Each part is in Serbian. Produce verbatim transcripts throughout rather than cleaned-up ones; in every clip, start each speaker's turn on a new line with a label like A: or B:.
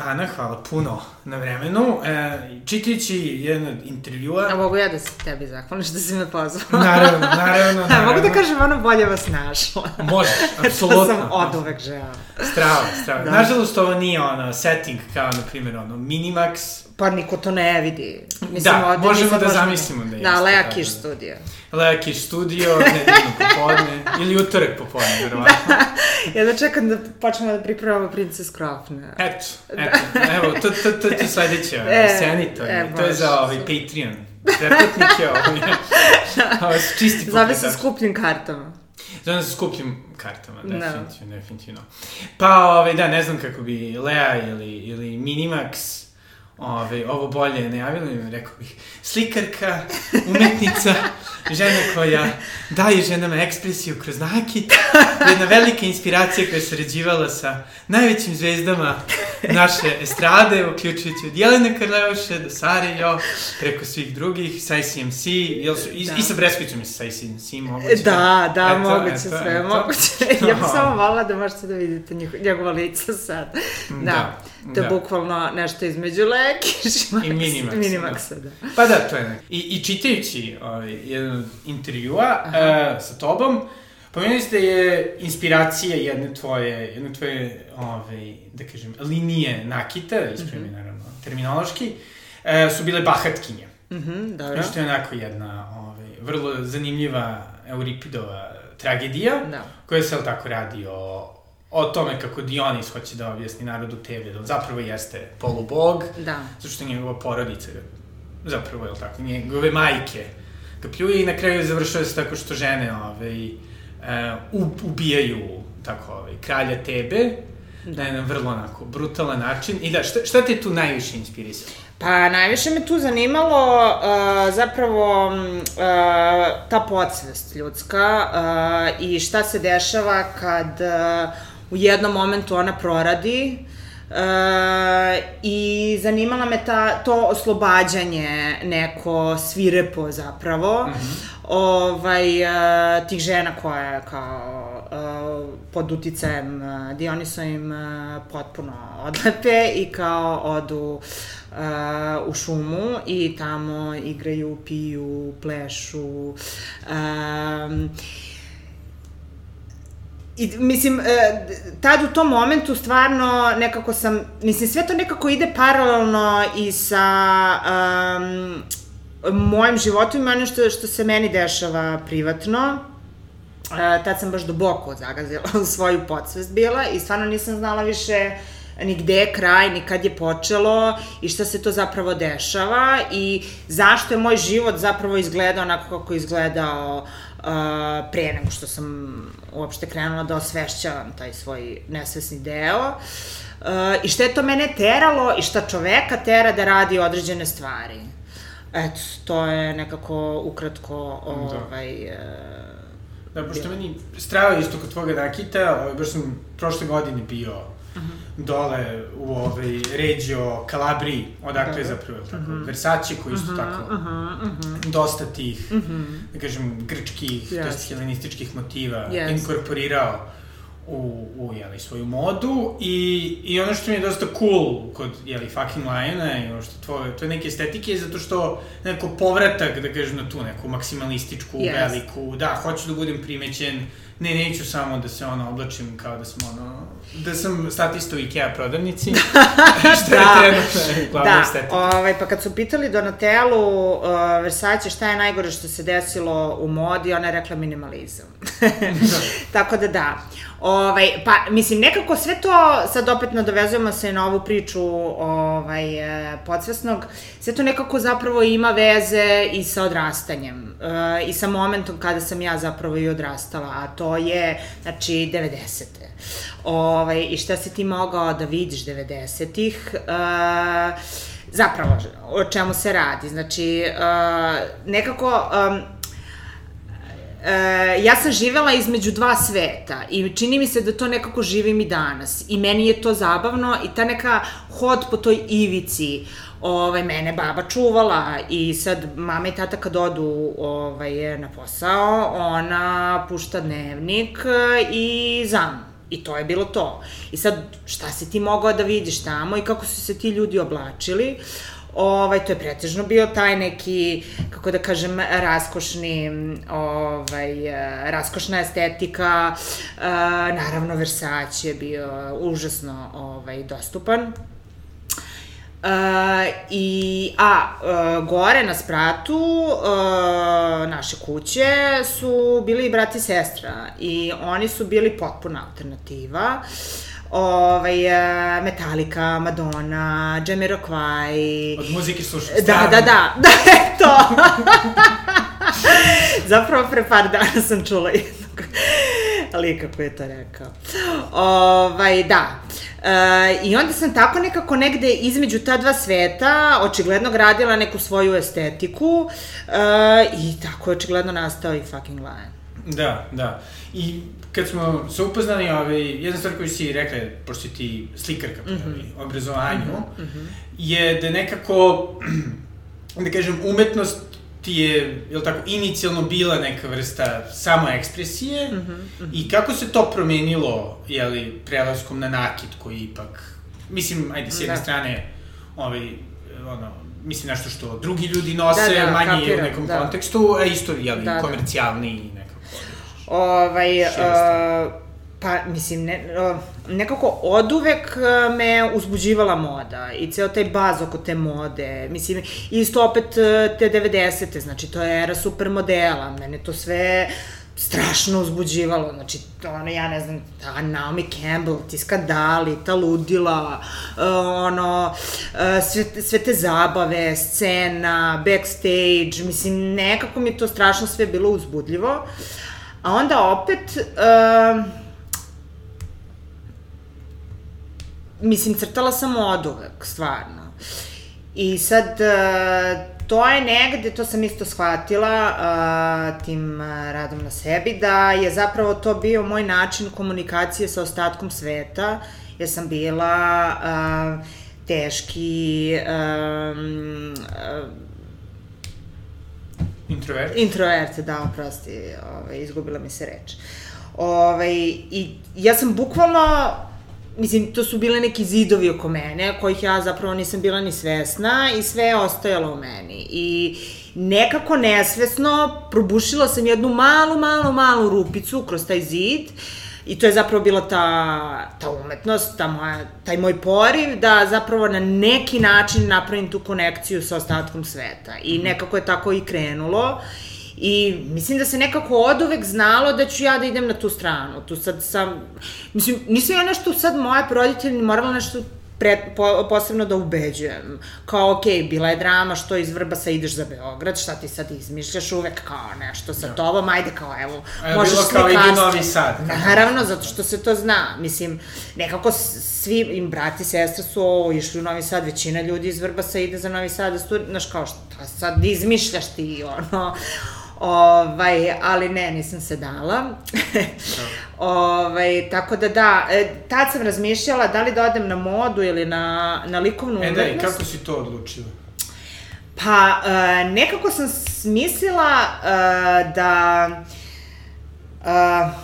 A: Ana, hvala puno na vremenu. E, čitajući jedan od intervjua...
B: A mogu ja da se tebi zahvalim što si me pozvala?
A: Naravno, naravno, naravno.
B: A, mogu da kažem, ono bolje vas našla.
A: Možeš, apsolutno.
B: To sam od uvek žela.
A: Strava, strava. Da. Nažalost, ovo nije ono setting kao, na primjer, ono Minimax.
B: Pa niko to ne vidi.
A: Mislim, da, možemo da možemo... zamislimo da jeste.
B: Da, Lea Kiš studio.
A: Lea Kiš studio, nedeljno popodne, ili utorak popodne, verovatno.
B: Da, ja da čekam da počnemo da pripremamo Princess Crofne.
A: Eto, eto, evo, to, to, to ti sledeće, e, scenito, e, to je za ovaj Patreon. Preplatnike ovaj, ovo su čisti pokretač.
B: Zove se skupljim kartama.
A: Zove se skupljim kartama, definitivno, no. definitivno. Pa, ovaj, da, ne znam kako bi Lea ili, ili Minimax Ove, ovo bolje najavilo im, rekao bih, slikarka, umetnica, žena koja daje ženama ekspresiju kroz nakit, jedna velika inspiracija koja je sarađivala sa najvećim zvezdama naše estrade, uključujući od Jelene Karleuše do Sare Jo, preko svih drugih, sa I C M C, jel su, i, da. i sa Breskvicom i sa I C M C moguće.
B: Da, da, eto, moguće eto, sve, eto. moguće. Ja bih samo volila da možete da vidite njegova lica sad. Da, da to je da. bukvalno nešto između Lea Kiš
A: i Minimaxa.
B: Minimaxa, da.
A: Pa da, to je ne. I, i čitajući ovaj, jedan od intervjua uh, sa tobom, pomenuli ste je inspiracija jedne tvoje, jedne tvoje, ovaj, da kažem, linije nakita, ispravim mm-hmm. naravno, terminološki, uh, su bile bahatkinje.
B: Mhm, dobro.
A: Što je onako jedna ovaj, vrlo zanimljiva Euripidova tragedija, da. koja se, ali tako, radi o o tome kako Dionis hoće da objasni narodu Tebe, da on zapravo jeste polubog, da. zato što njegova porodica, zapravo, je li tako, njegove majke ga pljuje i na kraju završava se tako što žene ovaj, uh, ubijaju tako, ovaj, kralja Tebe, da. na jedan vrlo onako brutalan način. I da, šta, šta te tu najviše inspirisalo?
B: Pa, najviše me tu zanimalo uh, zapravo uh, ta podsvest ljudska uh, i šta se dešava kad uh, u jednom momentu ona proradi uh, i zanimala me ta, to oslobađanje neko svirepo zapravo mm-hmm. ovaj, uh, tih žena koje kao uh, pod uticajem uh, Dionisovim uh, potpuno odlepe i kao odu Uh, u šumu i tamo igraju, piju, plešu. Um, i, mislim, uh, tad u tom momentu stvarno nekako sam, mislim, sve to nekako ide paralelno i sa um, mojim životom i ono što, što se meni dešava privatno. Uh, tad sam baš duboko zagazila u svoju podsvest bila i stvarno nisam znala više ni gde je kraj, ni kad je počelo i šta se to zapravo dešava i zašto je moj život zapravo izgledao onako kako je izgledao uh, pre nego što sam uopšte krenula da osvešćavam taj svoj nesvesni deo uh, i šta je to mene teralo i šta čoveka tera da radi određene stvari. Eto, to je nekako ukratko ovaj...
A: Da, da pošto meni strava isto kod tvoga nakita, ovaj, baš sam prošle godine bio Uh-huh. dole u ovaj Reggio Calabriji, odakle je zapravo tako, uh-huh. Versace, koji isto uh-huh. tako uh-huh. Uh-huh. dosta tih, uh-huh. da kažem, grčkih, yes. to jest helenističkih motiva yes. inkorporirao u, u jeli, svoju modu i, i ono što mi je dosta cool kod, jeli, Fucking Liona i ono što tvoje, to je neke estetike je zato što neko povratak, da kažem, na tu neku maksimalističku, yes. veliku, da, hoću da budem primećen, ne, neću samo da se ono oblačim kao da sam ono, da sam statista u Ikea prodavnici, što je trenutno glavna estetika.
B: Da, ovaj, pa kad su pitali Donatellu uh, Versace šta je najgore što se desilo u modi, ona je rekla minimalizam. Tako da da. Ovaj, pa, mislim, nekako sve to, sad opet nadovezujemo se na ovu priču ovaj, podsvesnog, sve to nekako zapravo ima veze i sa odrastanjem uh, i sa momentom kada sam ja zapravo i odrastala, a to je, znači, devedesete. Ovaj, I šta si ti mogao da vidiš devedesetih? Uh, zapravo, o čemu se radi? Znači, uh, nekako... Um, E, ja sam živela između dva sveta i čini mi se da to nekako živim i danas i meni je to zabavno i ta neka hod po toj ivici, ovaj, mene baba čuvala i sad mama i tata kad odu ovaj, na posao, ona pušta dnevnik i zam I to je bilo to. I sad, šta si ti mogao da vidiš tamo i kako su se ti ljudi oblačili, ovaj, to je pretežno bio taj neki, kako da kažem, raskošni, ovaj, raskošna estetika, naravno Versace je bio užasno ovaj, dostupan. Uh, i, a uh, gore na spratu uh, naše kuće su bili brat i sestra i oni su bili potpuna alternativa. Ovaj, Metallica, Madonna, Jamiroquai.
A: Od muzike slušaš?
B: Da, da, da, da, eto. Zapravo pre par dana sam čula jednog lika koji je to rekao. Ovaj, da. E, I onda sam tako nekako negde između ta dva sveta očigledno gradila neku svoju estetiku e, i tako je očigledno nastao i Fucking Lion.
A: Da, da. I kad smo se upoznali, ovaj, jedna stvar koju si rekla, pošto si ti slikarka po mm-hmm. obrazovanju, mm-hmm. je da nekako, da kažem, umetnost ti je, je li tako, inicijalno bila neka vrsta samoekspresije mm-hmm, mm-hmm. i kako se to promenilo, je li, prelaskom na nakit koji ipak, mislim, ajde, s jedne da. strane, ovaj, ono, mislim nešto što drugi ljudi nose, da, da, manje kapiram, u nekom da. kontekstu, a isto, je li, da, komercijalni i nekako.
B: Ovaj, uh, pa, mislim, ne, uh, nekako oduvek me uzbuđivala moda i ceo taj baz oko te mode, mislim, isto opet te devedesete, znači, to je era supermodela, mene to sve strašno uzbuđivalo, znači, ono, ja ne znam, ta Naomi Campbell, ti skandali, ta ludila, uh, ono, uh, sve, sve te zabave, scena, backstage, mislim, nekako mi to strašno sve bilo uzbudljivo. A onda opet, uh, mislim, crtala sam oduvek, stvarno. I sad, uh, to je negde, to sam isto shvatila uh, tim uh, radom na sebi, da je zapravo to bio moj način komunikacije sa ostatkom sveta, jer sam bila uh, teški, um, uh,
A: Introvert?
B: Introvert, da, oprosti, ovaj, izgubila mi se reč. Ovaj, i ja sam bukvalno, mislim, to su bile neki zidovi oko mene, kojih ja zapravo nisam bila ni svesna i sve je ostajalo u meni. I nekako nesvesno probušila sam jednu malu, malu, malu rupicu kroz taj zid i to je zapravo bila ta, ta umetnost, ta moja, taj moj poriv da zapravo na neki način napravim tu konekciju sa ostatkom sveta. I nekako je tako i krenulo. I mislim da se nekako oduvek znalo da ću ja da idem na tu stranu. Tu sad sam, mislim, nisam ja nešto sad moje roditelji morala nešto pre, po, posebno da ubeđujem. Kao, okej, okay, bila je drama što iz Vrbasa ideš za Beograd, šta ti sad izmišljaš uvek kao nešto sa tobom, ajde kao, evo,
A: a
B: možeš
A: slikarstvo. Bilo kao idi Novi Sad.
B: Naravno, zato što se to zna. Mislim, nekako svi im brati i sestra su o, išli u Novi Sad, većina ljudi iz Vrbasa ide za Novi Sad da studi, znaš kao, šta sad izmišljaš ti, ono... Ovaj, ali ne, nisam se dala. Ovaj, tako da da, tad sam razmišljala da li da odem na modu ili na, na likovnu umetnost.
A: E da, i kako si to odlučila?
B: Pa, uh, nekako sam smislila uh, da... Uh,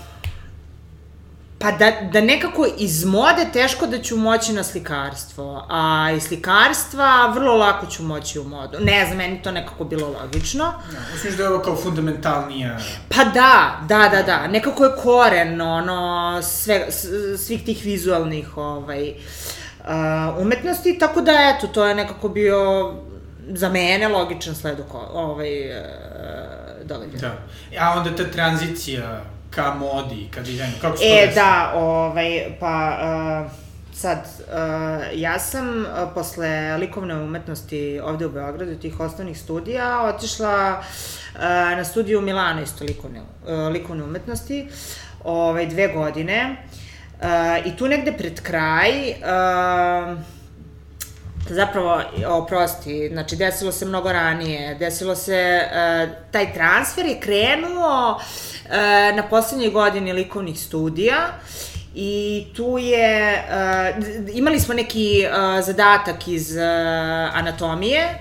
B: Pa da, da nekako iz mode teško da ću moći na slikarstvo, a iz slikarstva vrlo lako ću moći u modu. Ne znam, meni to nekako bilo logično.
A: Ja, misliš da je ovo kao fundamentalnija...
B: Pa da, da, da, da. Nekako je koren, ono, sve, svih tih vizualnih ovaj, uh, umetnosti, tako da, eto, to je nekako bio za mene logičan sled ovaj, uh, događaja.
A: Da. A onda ta tranzicija... ka modi, ka dizajnu, kako se to
B: E,
A: desi?
B: da, ovaj, pa, uh, sad, uh, ja sam uh, posle likovne umetnosti ovde u Beogradu, tih osnovnih studija, otišla uh, na studiju u Milano, isto likovne, uh, likovne umetnosti, ovaj, dve godine, uh, i tu negde pred kraj, uh, zapravo, oprosti, znači, desilo se mnogo ranije, desilo se, uh, taj transfer je krenuo uh, na poslednjoj godini likovnih studija i tu je, uh, imali smo neki uh, zadatak iz uh, anatomije,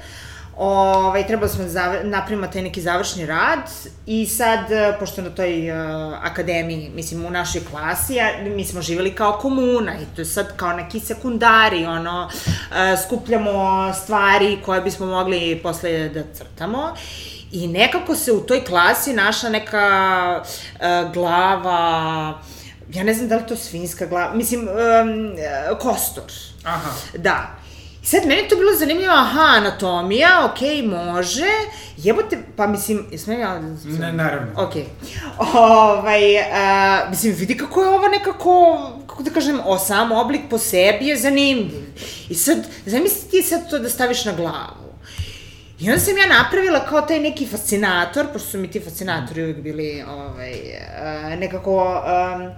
B: Ovaj, trebali smo da napravimo taj neki završni rad i sad, pošto na toj uh, akademiji, mislim, u našoj klasi, ja, mi smo živjeli kao komuna i to je sad kao neki sekundari, ono, uh, skupljamo stvari koje bismo mogli posle da crtamo. I nekako se u toj klasi našla neka uh, glava, ja ne znam da li to svinjska glava, mislim, um, kostur.
A: Aha.
B: Da. I sad, meni to bilo zanimljivo, aha, anatomija, okej, okay, može, jebote, pa mislim, jesmo ja...
A: Ne, naravno.
B: Okej. Okay. Ovaj, uh, mislim, vidi kako je ovo nekako, kako da kažem, o, sam oblik po sebi je zanimljiv. I sad, zamisli ti sad to da staviš na glavu. I onda sam ja napravila kao taj neki fascinator, pošto su mi ti fascinatori uvijek bili, ovaj, uh, nekako... Um,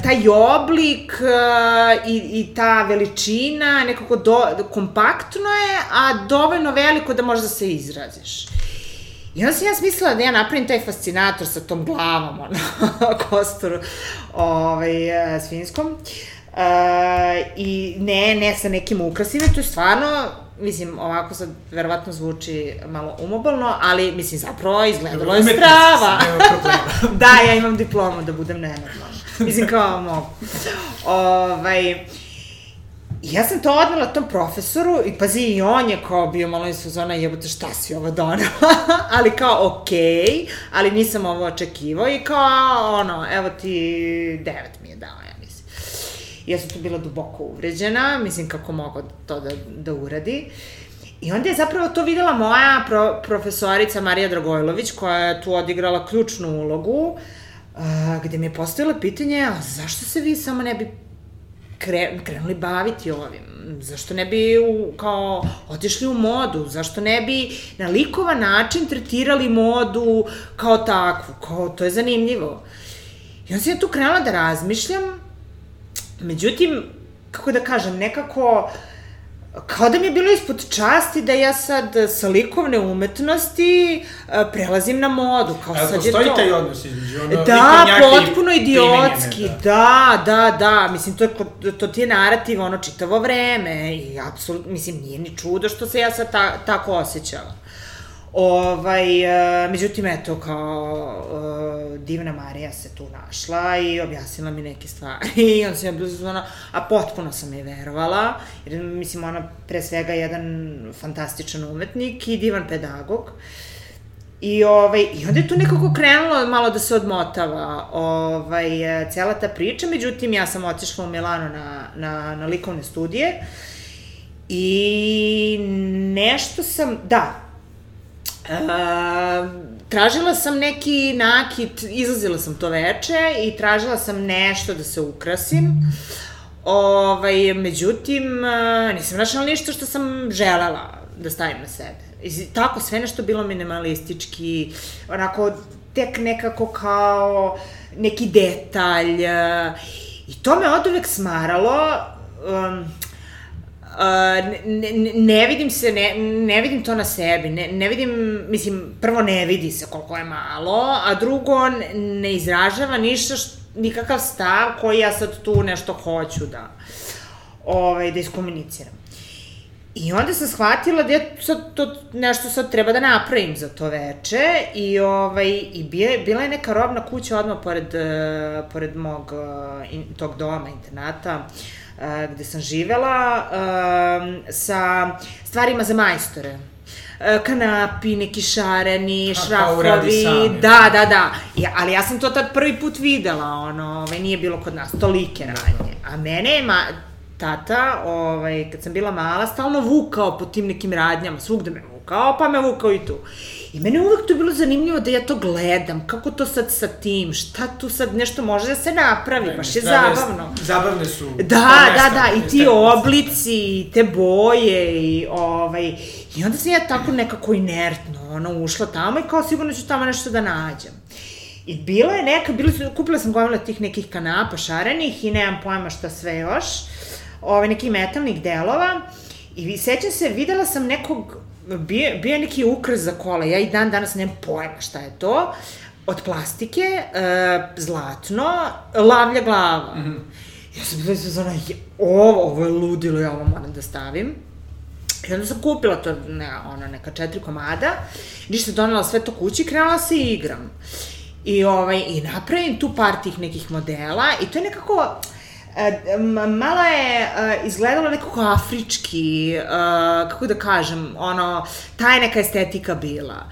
B: taj oblik uh, i, i ta veličina nekako do, kompaktno je, a dovoljno veliko da možda se izraziš. I onda sam ja smislila da ja napravim taj fascinator sa tom glavom, ono, kosturu, ovaj, svinjskom. Uh, I ne, ne sa nekim ukrasima, to je stvarno, mislim, ovako sad verovatno zvuči malo umobolno, ali, mislim, zapravo izgledalo je strava. Da, ja imam diplomu da budem nenormalna. Mislim, kao mogu. Ovaj, ja sam to odnela tom profesoru i pazi, i on je kao bio malo iz fazona, jebote, šta si ovo donela? Ali kao, okej, okay, ali nisam ovo očekivao i kao, ono, evo ti devet mi je dao, ja mislim. Ja sam tu bila duboko uvređena, mislim, kako mogu to da, da uradi. I onda je zapravo to videla moja pro, profesorica Marija Dragojlović, koja je tu odigrala ključnu ulogu, Uh, gde mi je postavila pitanje, a zašto se vi samo ne bi kre, krenuli baviti ovim? Zašto ne bi u, kao otišli u modu? Zašto ne bi na likovan način tretirali modu kao takvu? Kao, to je zanimljivo. I onda sam ja tu krenula da razmišljam, međutim, kako da kažem, nekako... Kao da mi je bilo ispod časti da ja sad sa likovne umetnosti prelazim na modu. Kao sad je to...
A: Postoji taj odnos između ono
B: da, potpuno idiotski, da, da, da, mislim, to, je, to ti je narativ, ono, čitavo vreme i apsolutno, mislim, nije ni čudo što se ja sad ta, tako osjećala. Ovaj, uh, međutim, eto, kao uh, divna Marija se tu našla i objasnila mi neke stvari i on se je bilo, a potpuno sam je verovala, jer, mislim, ona pre svega jedan fantastičan umetnik i divan pedagog. I, ovaj, i onda je tu nekako krenulo malo da se odmotava ovaj, cela ta priča, međutim, ja sam otišla u Milano na, na, na likovne studije i nešto sam, da, Uh, tražila sam neki nakit, izlazila sam to veče i tražila sam nešto da se ukrasim. Ovaj, međutim, uh, nisam našla ništa što sam želela da stavim na sebe. I tako, sve nešto bilo minimalistički, onako, tek nekako kao neki detalj. Uh, I to me od uvek smaralo. Um, Uh, ne, ne, ne vidim se, ne, ne vidim to na sebi, ne, ne vidim, mislim, prvo ne vidi se koliko je malo, a drugo ne izražava ništa, št, nikakav stav koji ja sad tu nešto hoću da, ovaj, da iskomuniciram. I onda sam shvatila da ja sad to nešto sad treba da napravim za to veče i, ovaj, i bije, bila je neka robna kuća odmah pored, uh, pored mog uh, in, tog doma, internata, Uh, gde sam živela, uh, sa stvarima za majstore. Uh, kanapi, neki šareni, šrafovi, da, da, da. I, ali ja sam to tad prvi put videla, ono, ovaj, nije bilo kod nas, tolike radnje. A mene je ma, tata, ovaj, kad sam bila mala, stalno vukao po tim nekim radnjama, svugde me vukao, pa me vukao i tu. I mene uvek to je bilo zanimljivo da ja to gledam, kako to sad sa tim, šta tu sad nešto može da se napravi, ne, baš je zabavno.
A: Zabavne su.
B: Da, da, da, i ti oblici, i te boje, i ovaj, i onda sam ja tako nekako inertno, ono, ušla tamo i kao sigurno ću tamo nešto da nađem. I bila je neka, bila su, kupila sam gomila tih nekih kanapa šarenih i nemam pojma šta sve još, ovaj, nekih metalnih delova, i sećam se, videla sam nekog, Bio, bio je neki ukras za kola, ja i dan danas nemam pojma šta je to, od plastike, e, zlatno, lavlja glava. Mm-hmm. Ja sam bila izazvana, ovo, ovo je ludilo, ja ovo moram da stavim. I onda sam kupila to, ne, ono, neka četiri komada, ništa donela sve to kući i krenula se i igram. I, ovaj, i napravim tu par tih nekih modela i to je nekako, e, malo je e, izgledalo nekako afrički, e, kako da kažem, ono, ta je neka estetika bila.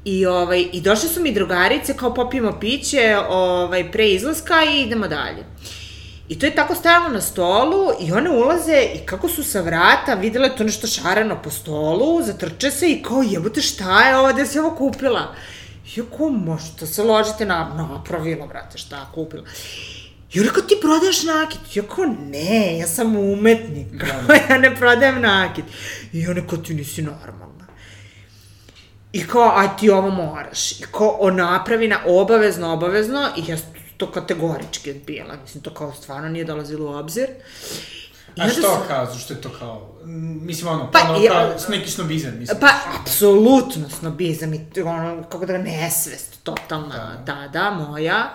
B: I, ovaj, i došle su mi drugarice, kao popijemo piće ovaj, pre izlaska i idemo dalje. I to je tako stajalo na stolu i one ulaze i kako su sa vrata videle to nešto šareno po stolu, zatrče se i kao jebote šta je ovo, gde si ovo kupila? I ja kao, možete se ložite na, napravila, brate, šta kupila? I ona kao, ti prodaješ nakit? Ja kao, ne, ja sam umetnik, kao, ja ne prodajem nakit. I ona kao, ti nisi normalna. I kao, a ti ovo moraš. I kao, o napravina, obavezno, obavezno, i ja to kategorički odbijala, mislim, to kao stvarno nije dolazilo u obzir. I
A: a što
B: sam...
A: kao, zašto je to kao, mislim, ono,
B: pa,
A: ono,
B: ja,
A: kao, neki snobizam, mislim.
B: Pa, apsolutno snobizam i, ono, kako da ga nesvest, totalna, da, da, da moja.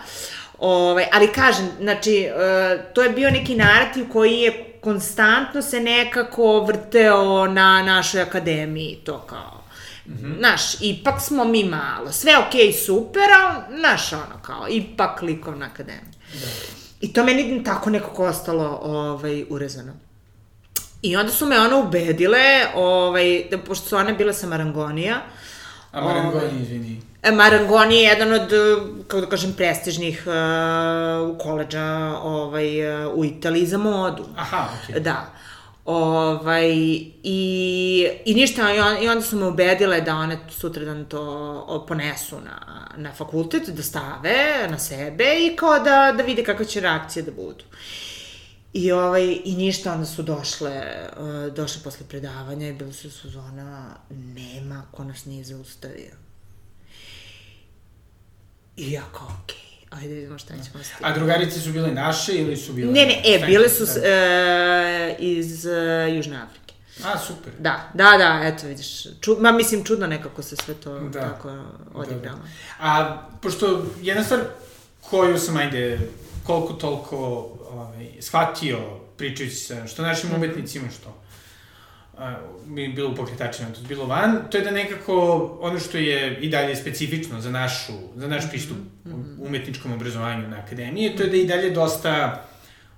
B: Ove, ali kažem, znači, uh, to je bio neki narativ koji je konstantno se nekako vrteo na našoj akademiji, to kao, Mm-hmm. Znaš, ipak smo mi malo, sve okej, okay, super, ali, znaš, ono, kao, ipak likovna akademija. Da. I to meni tako nekako ostalo, ovaj, urezano. I onda su me one ubedile, ovaj, da, pošto su one bile sa Marangonija.
A: A Marangoni, ovaj, izvini.
B: Marangoni je jedan od, kako da kažem, prestižnih uh, koleđa ovaj, uh, u Italiji za modu.
A: Aha, okej. Okay.
B: Da. Ovaj, i, i ništa, i, on, i onda su me ubedile da one sutradan to ponesu na, na fakultet, da stave na sebe i kao da, da vide kakve će reakcije da budu. I, ovaj, i ništa, onda su došle, uh, došle posle predavanja i bilo su sezona, nema ko nas nije zaustavio. I ja kao, okej. Okay. Ajde vidimo šta ćemo staviti.
A: A drugarice su bile naše ili su bile...
B: Ne, ne, e, bile su e, iz e, Južne Afrike.
A: A, super.
B: Da, da, da, eto vidiš. Ču, ma mislim, čudno nekako se sve to da, tako odigralo.
A: Da, da. A, pošto jedna stvar koju sam, ajde, koliko toliko ovaj, shvatio pričajući sa što našim mm-hmm. umetnicima, što mi bilo u pokretačima, to je bilo van, to je da nekako ono što je i dalje specifično za našu, za naš pristup mm-hmm. umetničkom obrazovanju na akademiji, to je da je i dalje dosta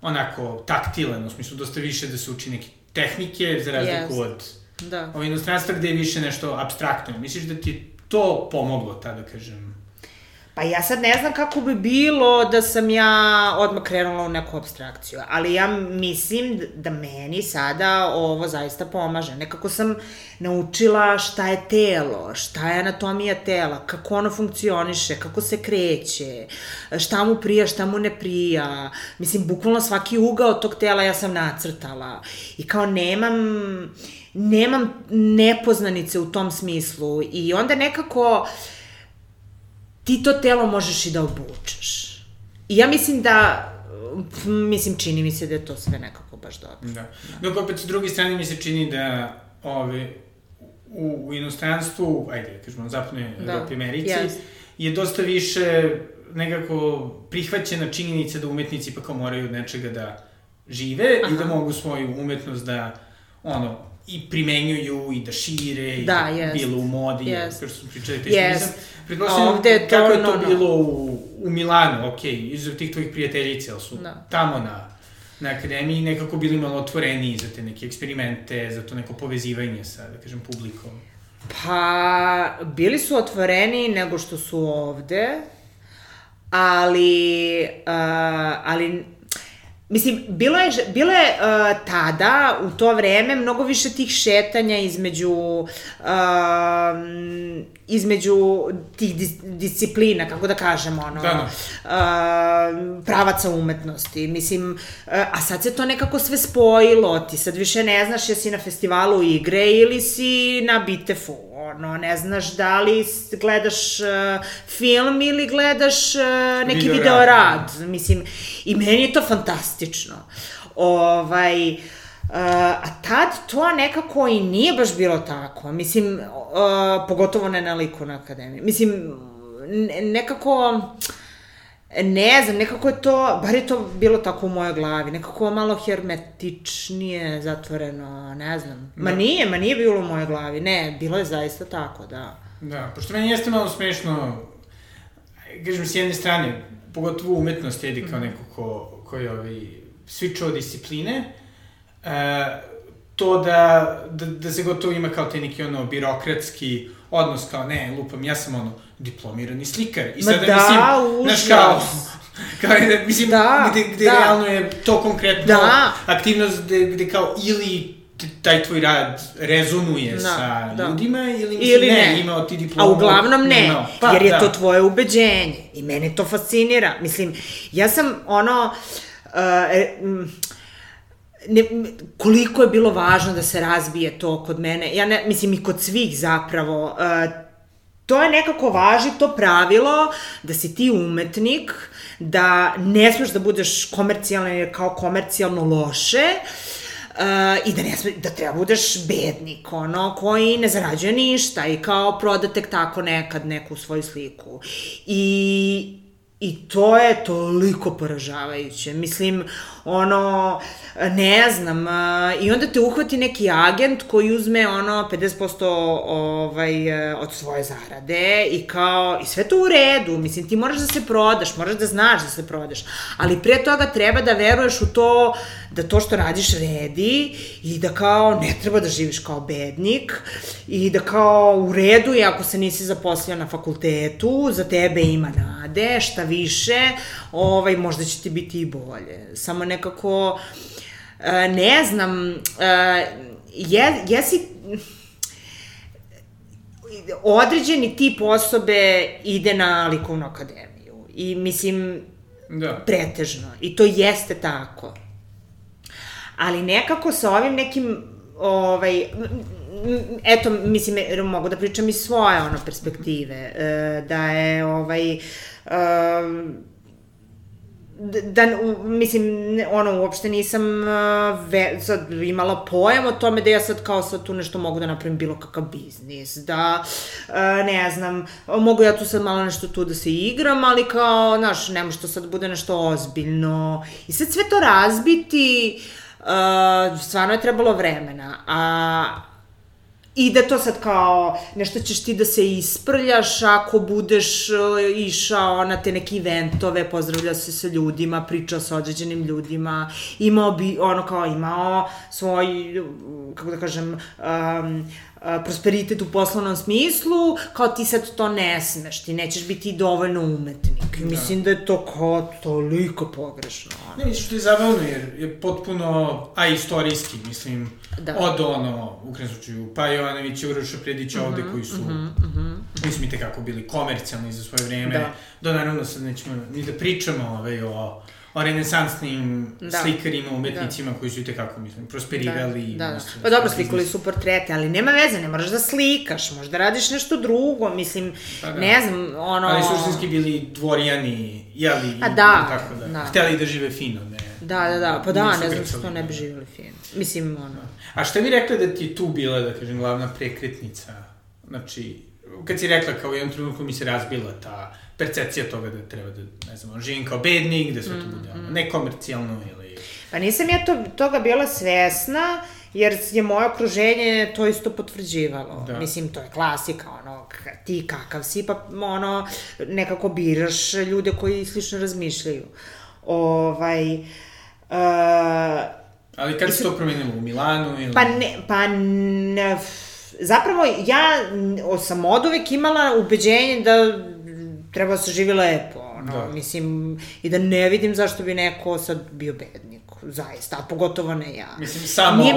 A: onako taktilan, u smislu dosta više da se uči neke tehnike, za razliku yes. od
B: da.
A: Ovo inostranstva gde je više nešto apstraktno. Misliš da ti je to pomoglo, ta da kažem?
B: Pa ja sad ne znam kako bi bilo da sam ja odmah krenula u neku apstrakciju, ali ja mislim da meni sada ovo zaista pomaže. Nekako sam naučila šta je telo, šta je anatomija tela, kako ono funkcioniše, kako se kreće, šta mu prija, šta mu ne prija. Mislim, bukvalno svaki ugao tog tela ja sam nacrtala. I kao nemam... nemam nepoznanice u tom smislu. I onda nekako... ti to telo možeš i da obučeš. I ja mislim da, mislim, čini mi se da je to sve nekako baš dobro.
A: Da. Dok opet s druge strane mi se čini da ove, u, u inostranstvu, ajde, kažemo, zapadnoj Evropi, Americi, yes. je dosta više nekako prihvaćena činjenica da umetnici pa kao moraju od nečega da žive Aha. i da mogu svoju umetnost da, ono, i primenjuju i da šire,
B: da,
A: i da
B: yes.
A: bilo u modi,
B: yes.
A: kao što smo pričali, te
B: yes.
A: što nisam. Pretpostavljam kako je to no, bilo u, u Milanu, okej, okay, izuzev tih tvojih prijateljice, ali su no. tamo na, na akademiji nekako bili malo otvoreniji za te neke eksperimente, za to neko povezivanje sa, da kažem, publikom.
B: Pa, bili su otvoreniji nego što su ovde, ali, uh, ali mislim, bilo je, bilo je uh, tada, u to vreme, mnogo više tih šetanja između, uh, između tih dis, disciplina, kako da kažem, ono, da. Uh, pravaca umetnosti. Mislim, uh, a sad se to nekako sve spojilo, ti sad više ne znaš jesi na festivalu igre ili si na Bitefu, ono, ne znaš da li gledaš uh, film ili gledaš uh, neki video, video rad. Mislim, i meni je to fantastično. Ovaj, uh, a tad to nekako i nije baš bilo tako. Mislim, uh, pogotovo ne na likovnoj akademiji. Mislim, nekako... ne znam, nekako je to, bar je to bilo tako u mojoj glavi, nekako malo hermetičnije, zatvoreno, ne znam. Ma nije, ma nije bilo u mojoj glavi, ne, bilo je zaista tako, da.
A: Da, pošto meni jeste malo smešno, kažem, s jedne strane, pogotovo umetnost jedi kao neko ko, ko je ovaj, svičao discipline, e, to da, da, da se gotovo ima kao taj neki ono birokratski odnos, kao ne, lupam, ja sam ono diplomirani slikar. I sada,
B: Ma da,
A: mislim,
B: užas.
A: Znaš kao, kao da, mislim,
B: da,
A: gde, gde
B: da.
A: realno je to konkretno
B: da.
A: aktivnost gde, gde kao ili taj tvoj rad rezonuje da, sa da. ljudima ili, mislim, ili ne, ne, imao ti diplomu.
B: A uglavnom ne, imao. Pa, jer je
A: da.
B: to tvoje ubeđenje i mene to fascinira. Mislim, ja sam ono... Uh, Ne, koliko je bilo važno da se razbije to kod mene, ja ne, mislim i kod svih zapravo, uh, to je nekako važi to pravilo da si ti umetnik, da ne smeš da budeš komercijalan jer kao komercijalno loše, Uh, i da ne sme, da treba budeš bednik, ono, koji ne zarađuje ništa i kao proda tek tako nekad neku svoju sliku. I I to je toliko poražavajuće. Mislim, ono, ne znam, i onda te uhvati neki agent koji uzme, ono, pedeset posto ovaj, od svoje zarade i kao, i sve to u redu. Mislim, ti moraš da se prodaš, moraš da znaš da se prodaš, ali pre toga treba da veruješ u to, da to što radiš redi i da kao ne treba da živiš kao bednik i da kao u redu je ako se nisi zaposlio na fakultetu, za tebe ima nade, šta više, ovaj, možda će ti biti i bolje. Samo nekako, ne znam, je, jesi... Određeni tip osobe ide na likovnu akademiju i mislim, da. Pretežno. I to jeste tako. Ali nekako sa ovim nekim, ovaj, eto, mislim, mogu da pričam iz svoje, ono, perspektive, da je, ovaj, da, mislim, ono, uopšte nisam ve, sad imala pojam o tome da ja sad kao sad tu nešto mogu da napravim bilo kakav biznis, da, ne znam, mogu ja tu sad malo nešto tu da se igram, ali kao, znaš, ne može to sad bude nešto ozbiljno. I sad sve to razbiti, Uh, stvarno je trebalo vremena, a i da to sad kao nešto ćeš ti da se isprljaš ako budeš uh, išao na te neke eventove, pozdravljao se sa ljudima, pričao sa određenim ljudima, imao bi, ono kao imao svoj, kako da kažem, um, prosperitet u poslovnom smislu, kao ti sad to ne smeš, ti nećeš biti dovoljno umetnik. Da. Mislim da je to kao toliko pogrešno. Ono.
A: Ne, mislim što je zabavno, jer je potpuno, a istorijski, mislim, da. Od ono, u krenu slučaju, pa Jovanović i Uroša Predić ovde, uh-huh, koji su, uh-huh, uh-huh. mislim, i tekako bili komercijalni za svoje vreme, da. Do naravno sad nećemo ni da pričamo ovaj, o o renesansnim da. Slikarima, umetnicima da. Koji su i tekako, mislim, prosperirali.
B: Da, da, da. Pa dobro, slikali su portrete, ali nema veze, ne moraš da slikaš, možda radiš nešto drugo, mislim, pa da. Ne znam, ono...
A: Ali suštinski bili dvorijani, jeli,
B: a da,
A: tako da,
B: da.
A: Hteli da žive fino, ne...
B: Da, da, da, pa da, ne znam što ne bi živjeli fino. Mislim, ono...
A: A šta bi rekla da ti tu bila, da kažem, glavna prekretnica? Znači, kad si rekla kao u jednom trenutku mi se razbila ta percepcija toga da treba da, ne znam, živim kao bednik, da sve to bude ono, nekomercijalno ili...
B: Pa nisam ja to, toga bila svesna, jer je moje okruženje to isto potvrđivalo. Da. Mislim, to je klasika, ono, ti kakav si, pa ono, nekako biraš ljude koji slično razmišljaju. Ovaj... Uh,
A: Ali kada se to promenilo, u Milanu ili...
B: Pa ne, pa ne, zapravo ja sam od uvek imala ubeđenje da treba da se živi lepo, ono, da. Mislim, i da ne vidim zašto bi neko sad bio bednik, zaista, a pogotovo ne ja.
A: Mislim, samo, mi...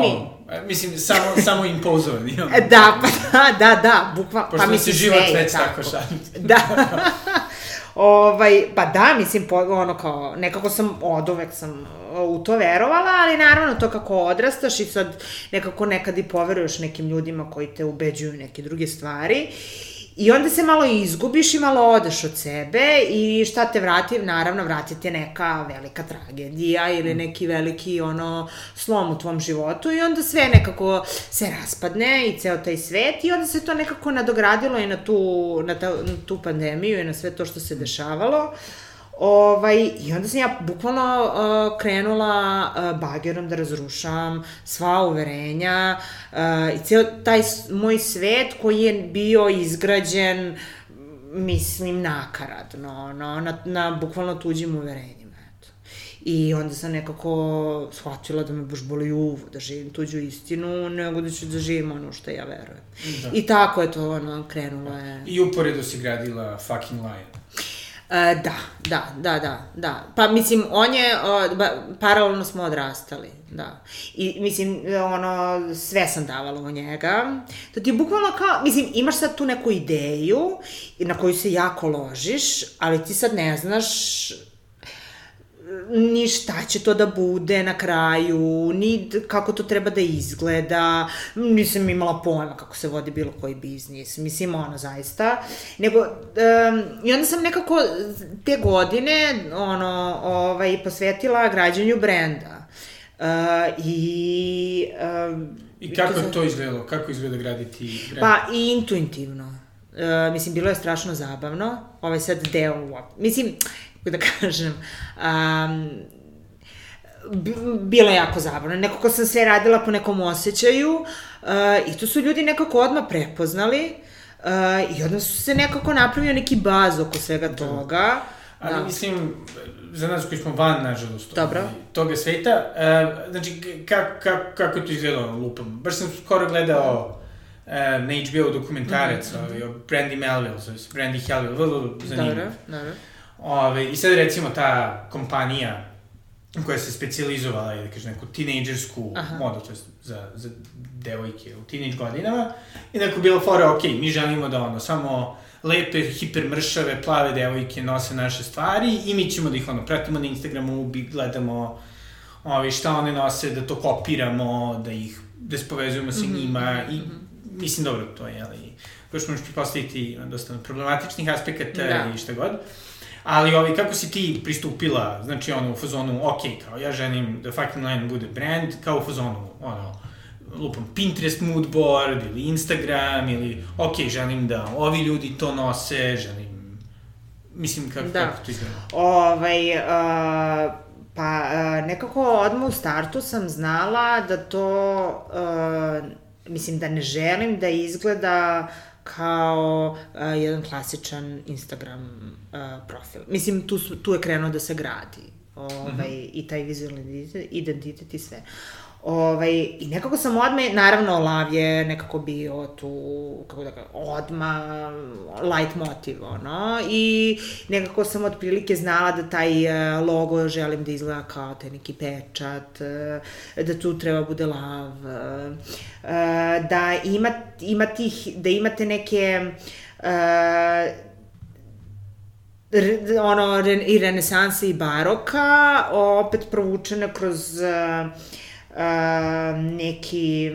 A: mislim, samo, samo impozovani.
B: Da, pa da, da, da, bukvalno,
A: pa mislim, sve je tako. Pošto se život već tako šalje.
B: Da. Ovaj, pa da, mislim, ono kao, nekako sam, od uvek sam u to verovala, ali naravno to kako odrastaš i sad nekako nekad i poveruješ nekim ljudima koji te ubeđuju neke druge stvari i onda se malo izgubiš i malo odeš od sebe i šta te vrati, naravno vrati te neka velika tragedija ili neki veliki ono slom u tvom životu i onda sve nekako se raspadne i ceo taj svet i onda se to nekako nadogradilo i na tu, na ta, na tu pandemiju i na sve to što se dešavalo. Ovaj, I onda sam ja bukvalno uh, krenula uh, bagerom da razrušavam sva uverenja uh, i ceo taj moj svet koji je bio izgrađen, mislim, nakaradno, no, na, na bukvalno tuđim uverenjima. Eto. I onda sam nekako shvatila da me baš boli uvo, da živim tuđu istinu, nego da ću da živim ono što ja verujem. Da. I tako je to, ono, krenulo je.
A: I uporedo si gradila Fucking Lion.
B: E, da, da, da, da, da. Pa, mislim, on je, o, ba, paralelno smo odrastali, da. I, mislim, ono, sve sam davala u njega. To ti je bukvalno kao, mislim, imaš sad tu neku ideju na koju se jako ložiš, ali ti sad ne znaš ni šta će to da bude na kraju, ni kako to treba da izgleda, nisam imala pojma kako se vodi bilo koji biznis, mislim, ono, zaista, nego, um, i onda sam nekako te godine, ono, ovaj, posvetila građenju brenda. Uh, I... Um,
A: I kako je to izgledalo? Kako izgleda graditi brend?
B: Pa, i intuitivno. Uh, mislim, bilo je strašno zabavno, ovaj sad deo, mislim, da kažem, um, bilo je jako zabavno. Nekako sam sve radila po nekom osjećaju uh, i to su ljudi nekako odmah prepoznali uh, i odmah su se nekako napravio neki baz oko svega toga.
A: Ali
B: da.
A: Mislim, za nas koji smo van, nažalost,
B: Dobro.
A: toga sveta, uh, znači, kako kak, kako to izgledalo, lupam? Baš sam skoro gledao uh, na H B O dokumentarac mm -hmm. o Brandy Melville, Brandy Melville, vrlo zanimljiv.
B: Dobro, dobro.
A: Ove, I sad recimo ta kompanija koja se specijalizovala je, da kažem, neku tinejdžersku modu, to je za, za devojke u tinejdž godinama, i neko bilo fora, ok, mi želimo da ono, samo lepe, hipermršave, plave devojke nose naše stvari i mi ćemo da ih ono, pratimo na Instagramu, gledamo ove, šta one nose, da to kopiramo, da ih, da se povezujemo sa njima i mislim, dobro, to je, ali još možeš pripostaviti dosta problematičnih aspekata da. I šta god. Ali ovi, kako si ti pristupila, znači ono, u fazonu, ok, kao ja želim da Fucking Lion bude brand, kao u fazonu, ono, lupam, Pinterest moodboard ili Instagram ili, ok, želim da ovi ljudi to nose, želim, mislim, kako, da. Kako to izgleda?
B: Ovaj, uh, pa uh, nekako odmah u startu sam znala da to, uh, mislim, da ne želim da izgleda kao uh, jedan klasičan Instagram uh, profil. Mislim, tu, su, tu je krenuo da se gradi ovaj, mm-hmm. i taj vizualni identitet, identitet i sve. Ovaj, I nekako sam odmah, naravno, Lav je nekako bio tu, kako da kažem, odmah light motiv, ono, i nekako sam otprilike znala da taj logo želim da izgleda kao taj neki pečat, da tu treba bude Lav, da, ima, ima tih, da imate neke ono, i renesanse i baroka, opet provučene kroz Uh, neki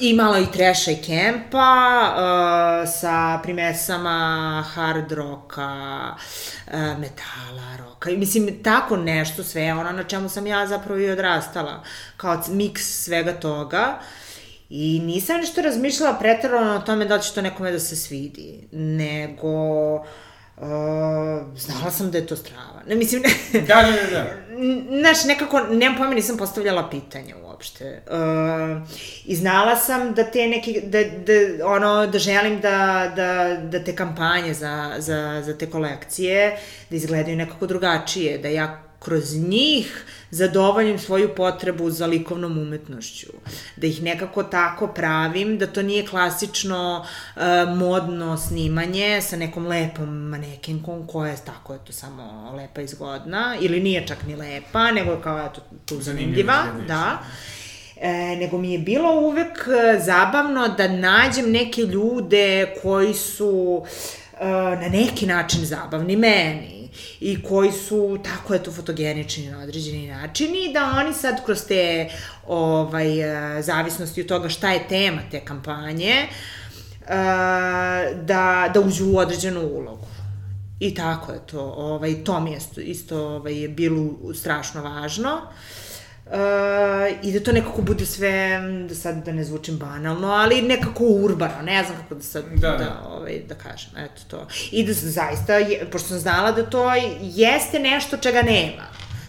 B: i malo i treša i kempa uh, sa primesama hard roka, uh, metala, roka i mislim tako nešto sve ono na čemu sam ja zapravo i odrastala kao miks svega toga i nisam nešto razmišljala preterano o tome da li će to nekome da se svidi, nego Uh, znala sam da je to strava. Ne, mislim,
A: ne... Da, da, da, da.
B: Znaš, nekako, nemam pojma, nisam postavljala pitanja uopšte. Uh, I znala sam da te neki, da, da, ono, da želim da, da, da te kampanje za, za, za te kolekcije, da izgledaju nekako drugačije, da ja kroz njih zadovoljim svoju potrebu za likovnom umetnošću. Da ih nekako tako pravim, da to nije klasično uh, modno snimanje sa nekom lepom manekenkom koja je tako, eto, samo lepa i zgodna, ili nije čak ni lepa, nego kao, eto, tu zanimljiva, da. E, nego mi je bilo uvek zabavno da nađem neke ljude koji su uh, na neki način zabavni meni i koji su tako, eto, fotogenični na određeni način i da oni sad kroz te ovaj, zavisnosti od toga šta je tema te kampanje, da, da uđu u određenu ulogu. I tako je to, ovaj, to mi je isto ovaj, je bilo strašno važno. i da to nekako bude sve, da sad da ne zvučim banalno, ali nekako urbano, ne znam kako da sad, da, da, da, ovaj, da kažem, eto to. I da zaista, pošto sam znala da to jeste nešto čega nema.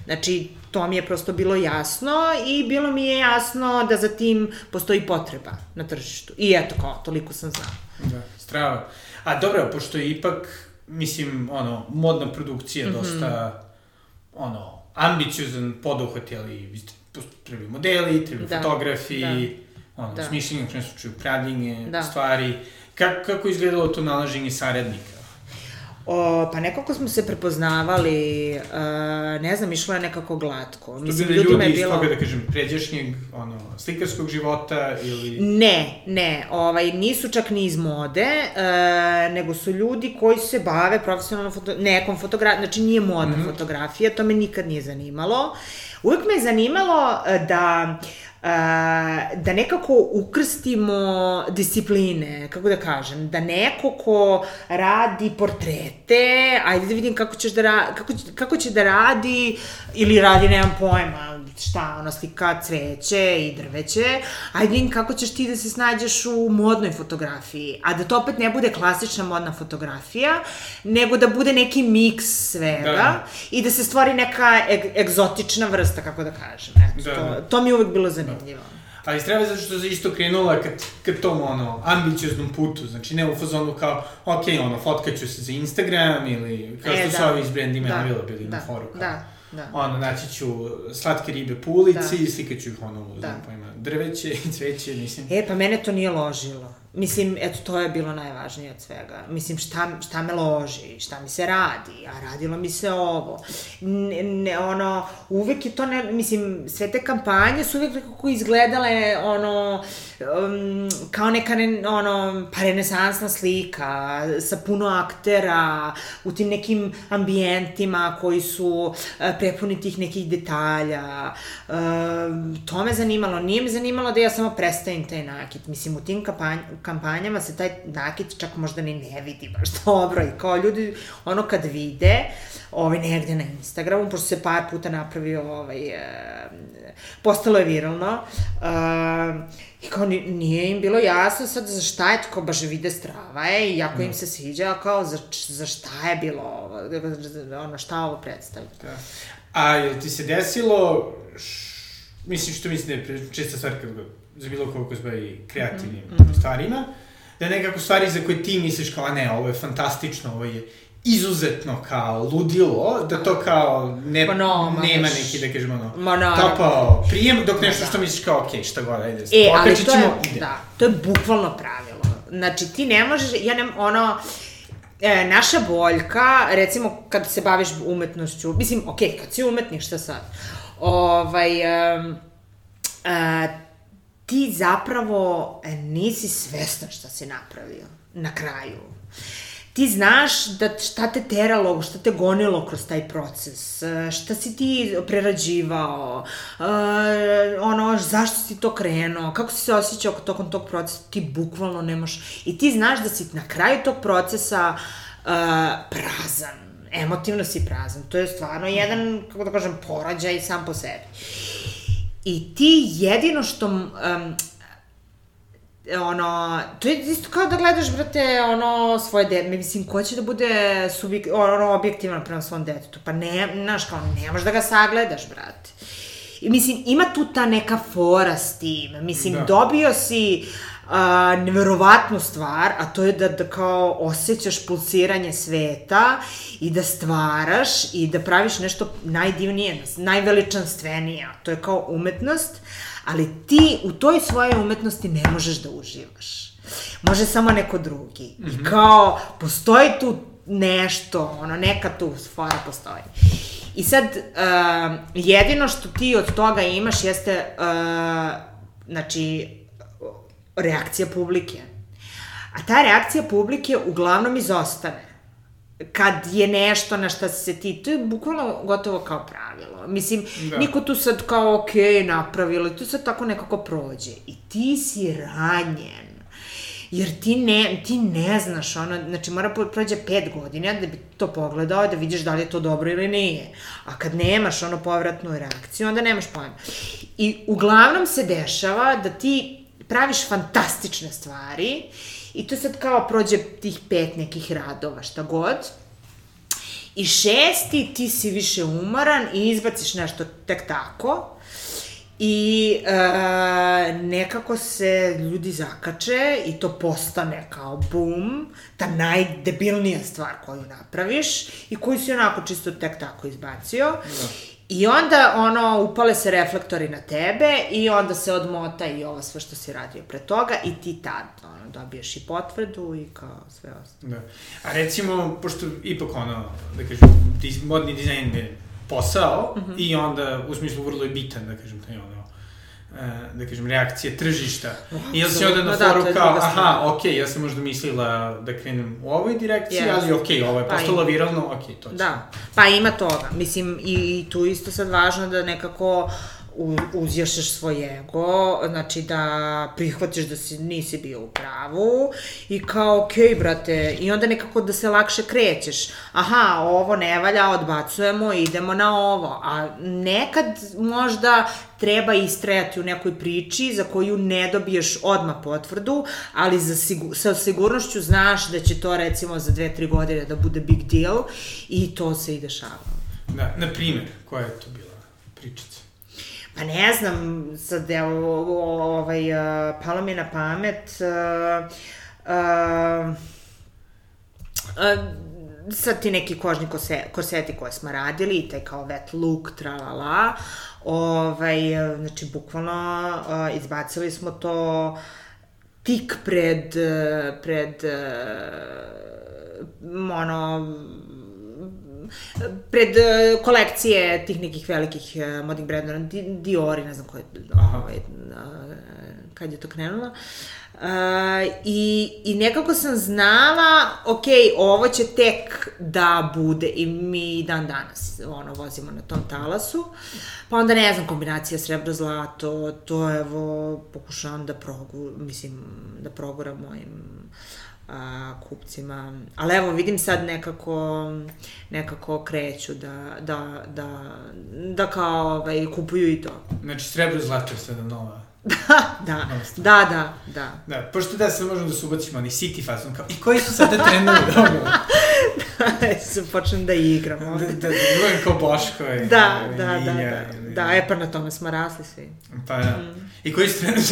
B: Znači, to mi je prosto bilo jasno i bilo mi je jasno da za tim postoji potreba na tržištu. I eto kao, toliko sam znala.
A: Da, strava. A dobro, pošto je ipak, mislim, ono, modna produkcija mm-hmm. dosta, ono, ambiciozan poduhvat, ali trebaju modeli, trebaju da, fotografi, da, ono, da. Smišljenje, u krenu slučaju, pravljenje, da. Stvari. Kako, kako izgledalo to nalaženje saradnika?
B: O, pa nekako smo se prepoznavali, uh, ne znam, išlo je nekako glatko.
A: Što bili ljudi iz toga, da kažem, pređašnjeg, ono, slikarskog života ili...
B: Ne, ne, ovaj, nisu čak ni iz mode, uh, nego su ljudi koji se bave profesionalno foto... nekom fotografijom, znači nije modna mm-hmm. fotografija, to me nikad nije zanimalo. Uvijek me je zanimalo da... Uh, da nekako ukrstimo discipline, kako da kažem, da neko ko radi portrete, ajde da vidim kako, ćeš da ra- kako, kako će da radi, ili radi, nemam pojma, šta, ono, slika cveće i drveće, ajde vidim kako ćeš ti da se snađeš u modnoj fotografiji, a da to opet ne bude klasična modna fotografija, nego da bude neki miks svega da. I da se stvori neka eg- egzotična vrsta, kako da kažem, eto, da. To, to mi je uvek bilo zanimljivo.
A: Ali treba zato što se isto krenula kad, kad tom, ono, ambicioznom putu, znači ne u fazonu kao, ok, ono, fotkaću se za Instagram ili kao što e, su da. Ovi iz Brand Emanuela bili da. Na foru, kao, da. Da. Ono, naći ću slatke ribe po ulici i da. Slikaću ih, ono, da. Znam pojma, drveće i cveće, mislim.
B: E, pa mene to nije ložilo. Mislim, eto, to je bilo najvažnije od svega. Mislim, šta, šta me loži, šta mi se radi, a radilo mi se ovo. Ne, ne, ono, uvek je to, ne, mislim, sve te kampanje su uvek nekako izgledale, ono, um, kao neka, ne, ono, pa renesansna slika, sa puno aktera, u tim nekim ambijentima koji su uh, prepuni tih nekih detalja. Uh, to me zanimalo. Nije me zanimalo da ja samo predstavim taj nakit. Mislim, u tim kampanjama kampanjama se taj nakit čak možda ni ne vidi baš dobro i kao ljudi, ono kad vide, ovaj, negde na Instagramu, pošto se par puta napravio, ovaj, e, postalo je viralno, e, i kao nije im bilo jasno sad za šta je, tako baš vide strava je i jako im se sviđa, a kao za, za šta je bilo ovo, ono, šta ovo predstavlja.
A: Da. A je ti se desilo, š, mislim što mislim da je česta stvar kad za bilo koliko se bavi kreativnim mm-hmm. stvarima, da nekako stvari za koje ti misliš kao, a ne, ovo je fantastično, ovo je izuzetno kao ludilo, da to kao ne, no, nema neki, da kažemo, ono, no, topao prijem, dok nešto što misliš kao, okej, okay, šta god, ajde,
B: e, ali to je, ide. Da, to je bukvalno pravilo. Znači, ti ne možeš, ja ne, ono, e, naša boljka, recimo, kad se baviš umetnošću, mislim, okej, okay, kad si umetnik, šta sad, ovaj, um, uh, ti zapravo nisi svestan šta si napravio na kraju. Ti znaš da šta te teralo, šta te gonilo kroz taj proces, šta si ti prerađivao, uh, ono, zašto si to krenuo, kako si se osjećao tokom tog procesa, ti bukvalno nemaš. I ti znaš da si na kraju tog procesa uh, prazan, emotivno si prazan. To je stvarno jedan, kako da kažem, porađaj sam po sebi. I ti jedino što, um, ono, to je isto kao da gledaš, brate, ono, svoje dete, mislim, ko će da bude subjek, ono, objektivan prema svom detetu, pa ne, znaš, kao, nemaš da ga sagledaš, brate. I mislim, ima tu ta neka fora s tim, mislim, da. Dobio si uh, neverovatnu stvar, a to je da, da kao osjećaš pulsiranje sveta i da stvaraš i da praviš nešto najdivnije, najveličanstvenije, to je kao umetnost, ali ti u toj svojoj umetnosti ne možeš da uživaš. Može samo neko drugi. Mm-hmm. I kao, postoji tu nešto, ono, neka tu fora postoji. I sad, uh, jedino što ti od toga imaš jeste, uh, znači, reakcija publike. A ta reakcija publike uglavnom izostane. Kad je nešto na šta se ti, to je bukvalno gotovo kao pravilo. Mislim, da. Niko tu sad kao, okej, okay, napravilo, to sad tako nekako prođe. I ti si ranjen. jer ti ne, ti ne znaš, ono, znači mora prođe pet godina da bi to pogledao, da vidiš da li je to dobro ili nije. A kad nemaš ono povratnu reakciju, onda nemaš pojma. I uglavnom se dešava da ti praviš fantastične stvari i to sad kao prođe tih pet nekih radova, šta god. I šesti, ti si više umoran i izbaciš nešto tek tako. I e, nekako se ljudi zakače i to postane kao bum, ta najdebilnija stvar koju napraviš i koju si onako čisto tek tako izbacio. Da. I onda, ono, upale se reflektori na tebe i onda se odmota i ovo sve što si radio pre toga i ti tad, ono, dobiješ i potvrdu i kao sve ostalo.
A: Da. A recimo, pošto ipak, ono, da kažem, modni dizajn je posao mm-hmm. i onda, u smislu, vrlo je bitan, da kažem, taj ono, da kažem, reakcija tržišta. Oh, I jel si onda na foru da, kao, aha, okej, okay, ja sam možda mislila da krenem u ovoj direkciji, yes. ali okej, okay, ovo je postalo pa viralno, okej, okay, to će.
B: Da, pa ima toga. Mislim, i, i tu isto sad važno da nekako uzjašeš svoj ego, znači da prihvatiš da si, nisi bio u pravu i kao, okej, okay, brate, i onda nekako da se lakše krećeš. Aha, ovo ne valja, odbacujemo, idemo na ovo. A nekad možda treba istrajati u nekoj priči za koju ne dobiješ odmah potvrdu, ali za sigur, sa sigurnošću znaš da će to recimo za dve, tri godine da bude big deal i to se i dešava.
A: Da, na primjer, koja je to bila pričica?
B: Pa ne znam, sad evo, ovaj, uh, palo mi na pamet, uh, uh, uh, sad ti neki kožni kose, korseti koje smo radili i taj kao wet look, tralala, ovaj, znači bukvalno uh, izbacili smo to tik pred, pred, uh, ono, pred uh, kolekcije tih nekih velikih uh, modnih brendova, Diori, ne znam ko je, ovaj, uh, kad je to krenulo. Uh, i, i nekako sam znala, ok, ovo će tek da bude i mi dan danas ono, vozimo na tom talasu. Pa onda ne znam, kombinacija srebro-zlato, to evo pokušavam da progu, mislim, da proguram mojim a, kupcima, ali evo vidim sad nekako nekako kreću da, da, da, da kao ovaj, kupuju i to.
A: Znači srebro-zlato je sada nova.
B: Da, da, da, da, da.
A: Da, pošto da sad možemo da se ubacimo, oni city fason, kao, i koji su sada trendovi, dobro?
B: Da, se počnem da igram.
A: Da, da, da, budem kao Boško i...
B: Da, da, da, da, da, e pa na tome smo rasli svi.
A: Pa da, i koji su trendovi?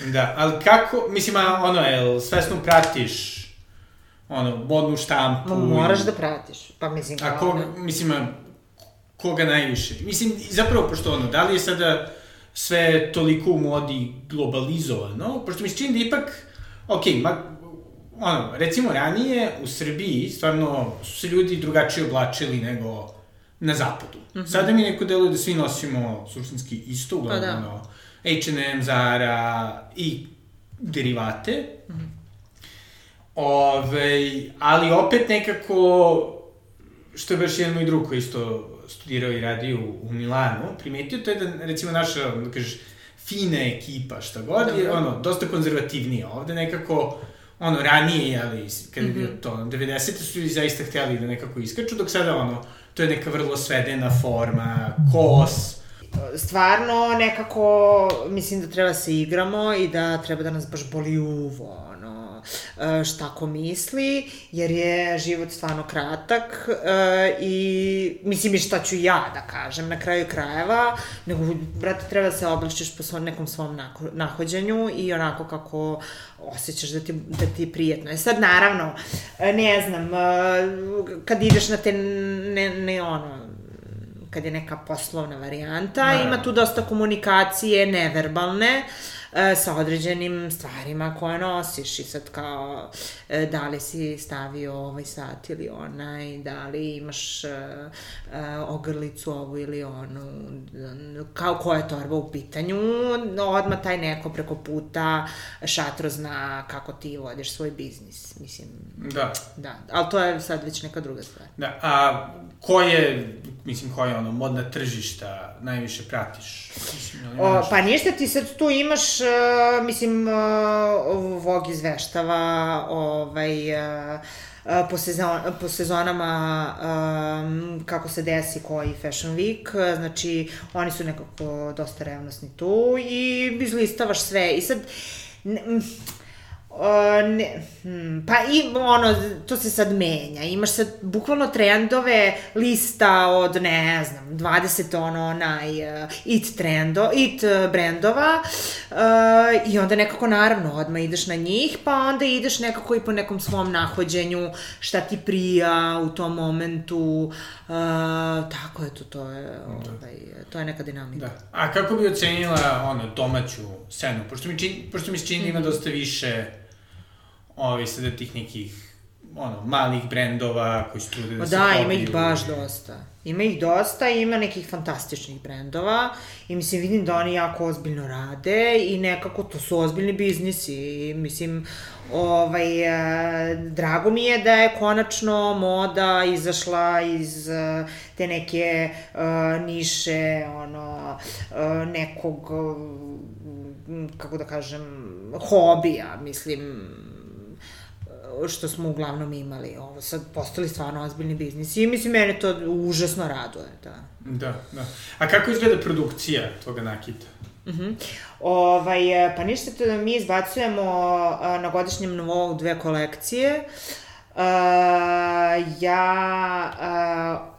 A: Da, ali kako, mislim, ono, jel, svesno pratiš, ono, modnu štampu?
B: Moraš da pratiš, pa mislim kao...
A: A koga, mislim, koga najviše? Mislim, zapravo, pošto ono, da li je sada sve toliko u modi globalizovano, pošto mi se čini da ipak, okej, okay, ma, ono, recimo ranije u Srbiji stvarno su se ljudi drugačije oblačili nego na zapadu. Mm-hmm. Sada mi neko deluje da svi nosimo suštinski isto, uglavnom, pa ono, H and M, Zara i derivate. Mm-hmm. Ove, ali opet nekako, što je baš jedan moj drug koji isto studirao i radio u Milanu, primetio to je da, recimo, naša, da kažeš, fina ekipa, šta god, je, Dobre. ono, dosta konzervativnija. Ovde nekako, ono, ranije, ali, kad je mm-hmm. bio to, devedesete su ljudi zaista htjeli da nekako iskaču, dok sada, ono, to je neka vrlo svedena forma, kos.
B: Stvarno, nekako, mislim da treba se igramo i da treba da nas baš boli uvo, ono, šta ko misli, jer je život stvarno kratak i, mislim, i šta ću ja da kažem na kraju krajeva, nego, brate, treba da se oblačiš po svom, nekom svom nahođenju i onako kako osjećaš da ti, da ti je prijetno. E sad, naravno, ne znam, kad ideš na te, ne, ne ono, kad je neka poslovna varijanta, ne. Ima tu dosta komunikacije neverbalne e, sa određenim stvarima koje nosiš i sad kao e, da li si stavio ovaj sat ili onaj, da li imaš e, e, ogrlicu ovu ili onu, kao koja je torba u pitanju, odmah taj neko preko puta šatro zna kako ti vodiš svoj biznis, mislim.
A: Da.
B: Da, ali to je sad već neka druga stvar.
A: Da, a ko je, mislim, ko je ono, modna tržišta najviše pratiš? Mislim,
B: o, pa ništa, ti sad tu imaš uh, mislim, uh, Vogue izveštava, ovaj, uh, Po, sezon, po sezonama um, kako se desi koji Fashion Week, znači oni su nekako dosta revnosni tu i izlistavaš sve i sad ne, Uh, ne, hmm, pa i ono, to se sad menja, imaš sad bukvalno trendove, lista od ne znam, dvadeset ono naj uh, it trendo, it uh, brendova uh, i onda nekako naravno odmah ideš na njih, pa onda ideš nekako i po nekom svom nahođenju, šta ti prija u tom momentu, uh, tako je to, to je, ovaj, to je neka dinamika.
A: Da. A kako bi ocenila ono, domaću scenu, pošto mi, čin, pošto mi se čini ima dosta više ovi sada tih nekih, ono, malih brendova koji su trude da se pobiju.
B: Da, ima ih baš dosta. Ima ih dosta i ima nekih fantastičnih brendova i mislim, vidim da oni jako ozbiljno rade i nekako to su ozbiljni biznisi i mislim, ovaj, eh, drago mi je da je konačno moda izašla iz eh, te neke eh, niše, ono, eh, nekog, eh, kako da kažem, hobija, mislim, što smo uglavnom imali. Ovo sad postali stvarno ozbiljni biznisi i mislim, mene to užasno raduje, da.
A: Da, da. A kako izgleda produkcija toga nakita?
B: Uh-huh. Ovaj, pa ništa, to da mi izbacujemo uh, na godišnjem nivou dve kolekcije. Uh, ja... Uh,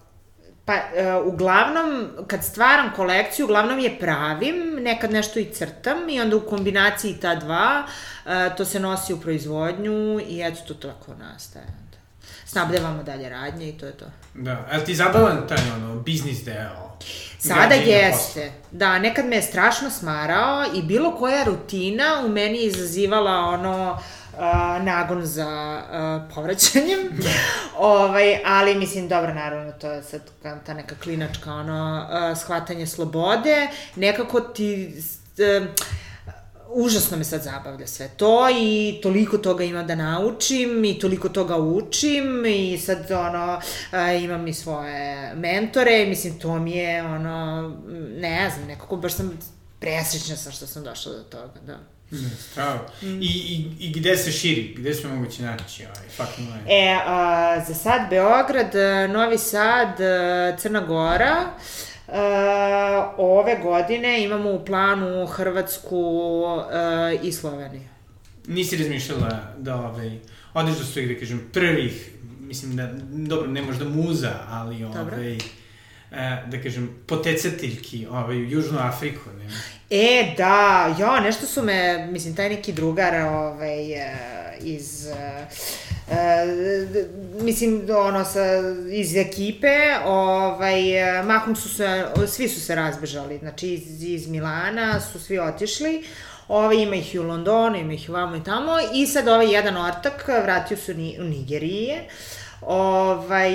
B: Pa, uh, uglavnom, kad stvaram kolekciju, uglavnom je pravim, nekad nešto i crtam i onda u kombinaciji ta dva, uh, to se nosi u proizvodnju i eto, to tako nastaje. Snabdevamo dalje radnje i to je to.
A: Da, ali ti zabavan taj ono, biznis deo?
B: Sada jeste. Da, nekad me je strašno smarao i bilo koja rutina u meni je izazivala ono... Uh, nagon za uh, povraćanjem, ovaj, ali mislim, dobro, naravno, to je sad ta neka klinačka, ono, uh, shvatanje slobode, nekako ti, uh, užasno me sad zabavlja sve to i toliko toga ima da naučim i toliko toga učim i sad, ono, uh, imam i svoje mentore, mislim, to mi je, ono, ne znam, nekako baš sam presrećna sam što sam došla do toga, da.
A: Ne, strava. Mm. I, i, I gde se širi? Gde smo mogući naći ovaj fucking line?
B: E, a, za sad Beograd, Novi Sad, Crna Gora. A, ove godine imamo u planu Hrvatsku a, i Sloveniju.
A: Nisi razmišljala da ovaj, odeš do svojih, da kažem, prvih, mislim da, dobro, ne možda muza, ali ovaj, da kažem, potecateljki ovaj, u Južnu Afriku, ne?
B: E, da, jo, nešto su me, mislim, taj neki drugar, ovaj, iz, uh, mislim, ono, sa, iz ekipe, ovaj, mahom su se, svi su se razbežali, znači, iz, iz Milana su svi otišli, ovaj, ima ih i u Londonu, ima ih i vamo i tamo, i sad ovaj jedan ortak vratio se u Nigerije, ovaj,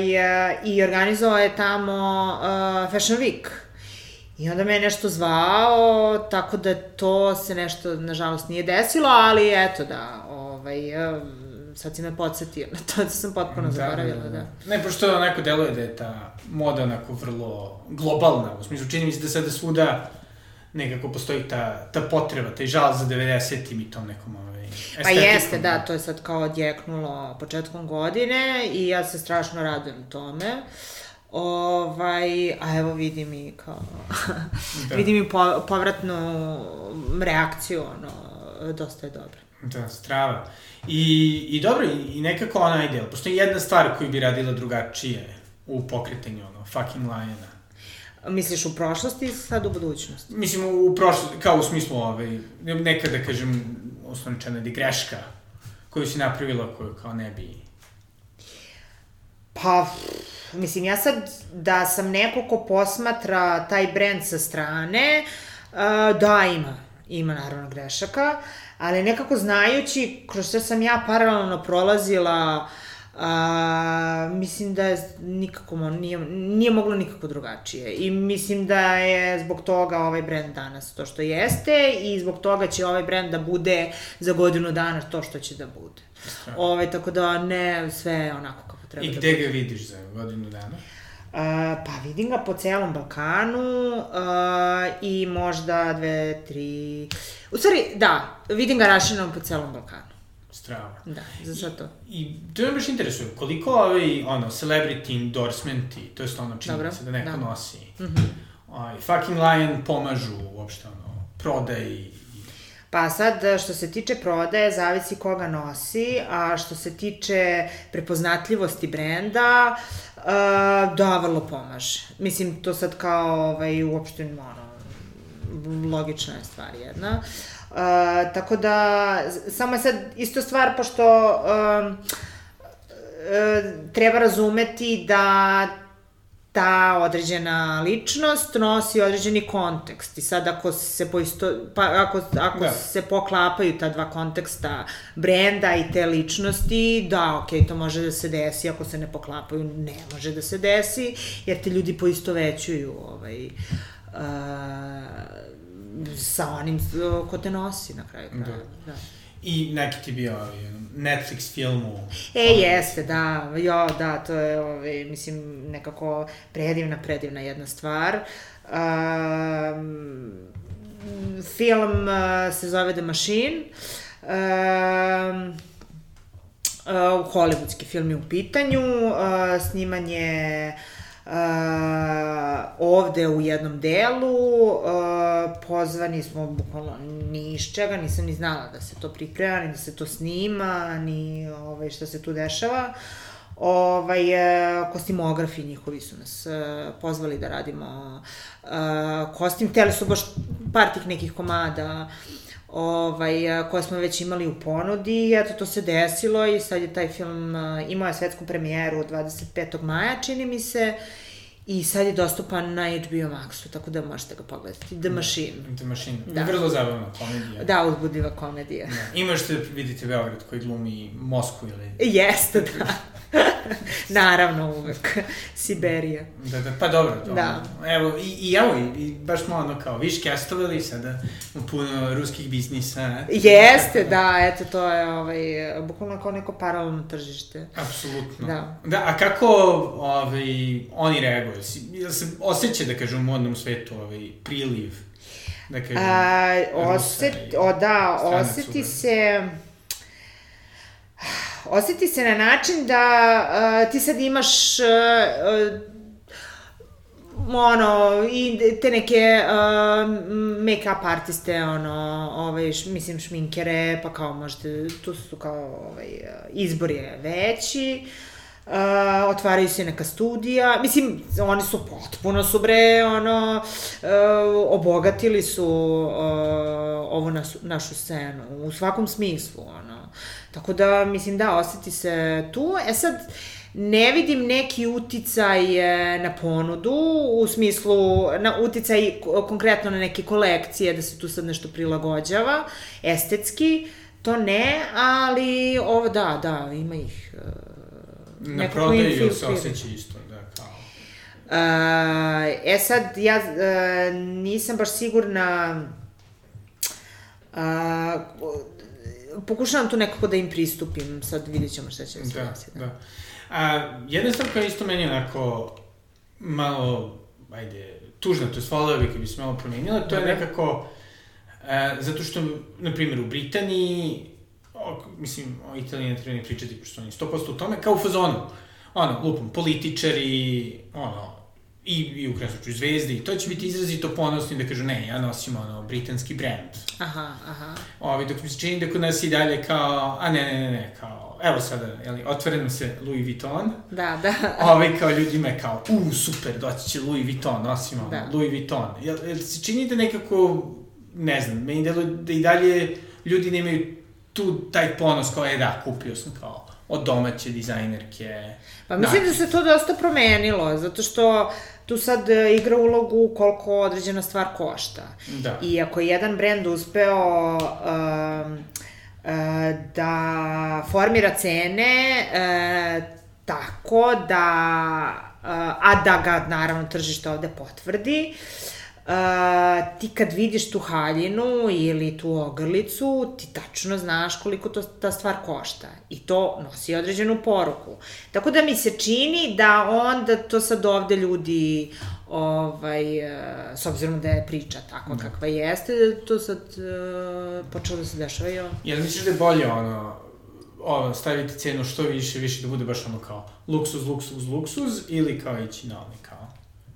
B: i organizovao je tamo uh, Fashion Week. I onda me je nešto zvao, tako da to se nešto, nažalost, nije desilo, ali eto da, ovaj, sad si me podsjetio na to da sam potpuno da, zaboravila, da, da. da.
A: Ne, pošto onako deluje da je ta moda onako vrlo globalna, u smislu, čini mi se da sada svuda nekako postoji ta, ta potreba, taj žal za devedesetim i tom nekom ovaj, estetikom.
B: Pa jeste, da, to je sad kao odjeknulo početkom godine i ja se strašno radujem tome. Ovaj, a evo vidim i kao, da. vidim i po, povratnu reakciju, ono, dosta je dobro.
A: Da, strava. I, i dobro, i, i nekako ona ideal, postoji jedna stvar koju bi radila drugačije u pokretanju, ono, fucking Liona.
B: Misliš u prošlosti i sad u budućnosti?
A: Mislim, u prošlosti, kao u smislu, ovaj, nekad da kažem, osnovničana je greška koju si napravila, koju kao ne bi...
B: Pa... Mislim, ja sad, da sam neko ko posmatra taj brend sa strane, uh, da, ima. Ima, naravno, grešaka, ali nekako znajući kroz što sam ja paralelno prolazila, uh, mislim da je nikako, nije, nije moglo nikako drugačije. I mislim da je zbog toga ovaj brend danas to što jeste i zbog toga će ovaj brend da bude za godinu dana to što će da bude. Ove, tako da ne, sve onako kako treba.
A: I gde ga vidiš za godinu dana?
B: pa vidim ga po celom Balkanu uh, i možda dve, tri... U stvari, da, vidim ga raširenom po celom Balkanu.
A: Strava.
B: Da, za sad to.
A: I, i to me baš interesuje, koliko ovi, ono, celebrity endorsementi, to je ono činjenica da neko da. nosi, mm-hmm. ovaj, fucking Lion pomažu uopšte, ono, prodaji.
B: Pa sad, što se tiče prodaje, zavisi koga nosi, a što se tiče prepoznatljivosti brenda, uh, da, vrlo pomaže. Mislim, to sad kao, ovaj, uopšte, ono, logična je stvar jedna. Uh, tako da, samo je sad isto stvar, pošto uh, uh, treba razumeti da ta određena ličnost nosi određeni kontekst i sad ako se poisto, pa ako, ako da. se poklapaju ta dva konteksta brenda i te ličnosti, da, okej, okay, to može da se desi, ako se ne poklapaju, ne može da se desi, jer te ljudi poistovećuju ovaj, uh, sa onim ko te nosi na kraju. Da. da.
A: I neki ti bio Netflix filmu.
B: E, jeste, da, jo, da, to je, ovaj, mislim, nekako predivna, predivna jedna stvar. Um, film uh, se zove The Machine. Um, uh, hollywoodski film je u pitanju. Uh, snimanje Uh, ovde u jednom delu, uh, pozvani smo bukvalno ni iz čega, nisam ni znala da se to priprema, ni da se to snima, ni ovaj, šta se tu dešava. Ovaj, uh, kostimografi njihovi su nas uh, pozvali da radimo uh, kostim, hteli su baš par tih nekih komada ovaj, koje smo već imali u ponudi, eto to se desilo i sad je taj film uh, imao je svetsku premijeru dvadeset petog maja, čini mi se, i sad je dostupan na H B O Maxu, tako da možete ga pogledati. The Machine.
A: The Machine. Da. Vrlo zabavna komedija.
B: Da, uzbudljiva komedija.
A: Da. Imaš da vidite Beograd koji glumi Moskvu ili...
B: Jeste, da. Naravno, uvek. Siberija.
A: Da, da, pa dobro. To,
B: da.
A: Evo, i, i evo, i, i baš smo ono kao, viš castovali sada puno ruskih biznisa.
B: Jeste, da, eto, to je ovaj, bukvalno kao neko paralelno tržište.
A: Apsolutno.
B: Da.
A: Da, a kako ovaj, oni reaguju? Jel se osjeća, da kažem, u modnom svetu ovaj, priliv? Da kažem,
B: a, oset, o, da, oseti se... Oseti se na način da uh, ti sad imaš uh, uh, ono, i te neke uh, make-up artiste, ono, ovaj, š, mislim, šminkere, pa kao možete, tu su kao, ovaj, izbor je veći, uh, otvaraju se neka studija, mislim, oni su potpuno su bre, ono, uh, obogatili su uh, ovu našu, našu scenu, u svakom smislu, ono. Tako da, mislim, da, oseti se tu. E sad, ne vidim neki uticaj na ponudu, u smislu, na uticaj konkretno na neke kolekcije, da se tu sad nešto prilagođava, estetski, to ne, ali ovo, da, da, ima ih. Uh,
A: na prodaju se osjeća isto, da, kao.
B: Uh, e sad, ja uh, nisam baš sigurna... Uh, pokušavam tu nekako da im pristupim, sad vidjet ćemo šta će da se desiti.
A: Da, da. A, jedna stvar koja isto meni onako malo, ajde, tužna, to je svala bi kad bi se malo promenila, to je nekako, a, zato što, na primjer, u Britaniji, o, mislim, o Italiji ne treba ni pričati, pošto oni sto posto u tome, kao u fazonu, ono, lupom, političari, ono, i, i u krasnoću zvezde, i to će biti izrazito ponosni da kažu, ne, ja nosim, ono, britanski brand.
B: Aha, aha.
A: Ovi, dok mi se čini da kod nas i dalje kao, a ne, ne, ne, ne, kao, evo sada, jeli, otvore nam se Louis Vuitton.
B: Da, da.
A: Ovi, kao, ljudima je kao, u, super, doći će Louis Vuitton, nosimo, ono,
B: da.
A: Louis Vuitton. Jel, jel se čini da nekako, ne znam, meni deluje da i dalje ljudi nemaju tu taj ponos kao, je, da, kupio sam, kao, od domaće dizajnerke.
B: Pa mislim da se to dosta promenilo, zato što tu sad igra ulogu koliko određena stvar košta.
A: Da.
B: I ako je jedan brend uspeo um, uh, da formira cene uh, tako da, uh, a da ga naravno tržište ovde potvrdi, Uh, ti kad vidiš tu haljinu ili tu ogrlicu, ti tačno znaš koliko to, ta stvar košta i to nosi određenu poruku. Tako da mi se čini da onda to sad ovde ljudi, ovaj, uh, s obzirom da je priča takva da. kakva jeste, da to sad uh, počelo da se dešava i ovo.
A: Jel misliš da je bolje ono, ono, staviti cenu što više, više da bude baš ono kao luksuz, luksuz, luksuz ili kao ići na ono kao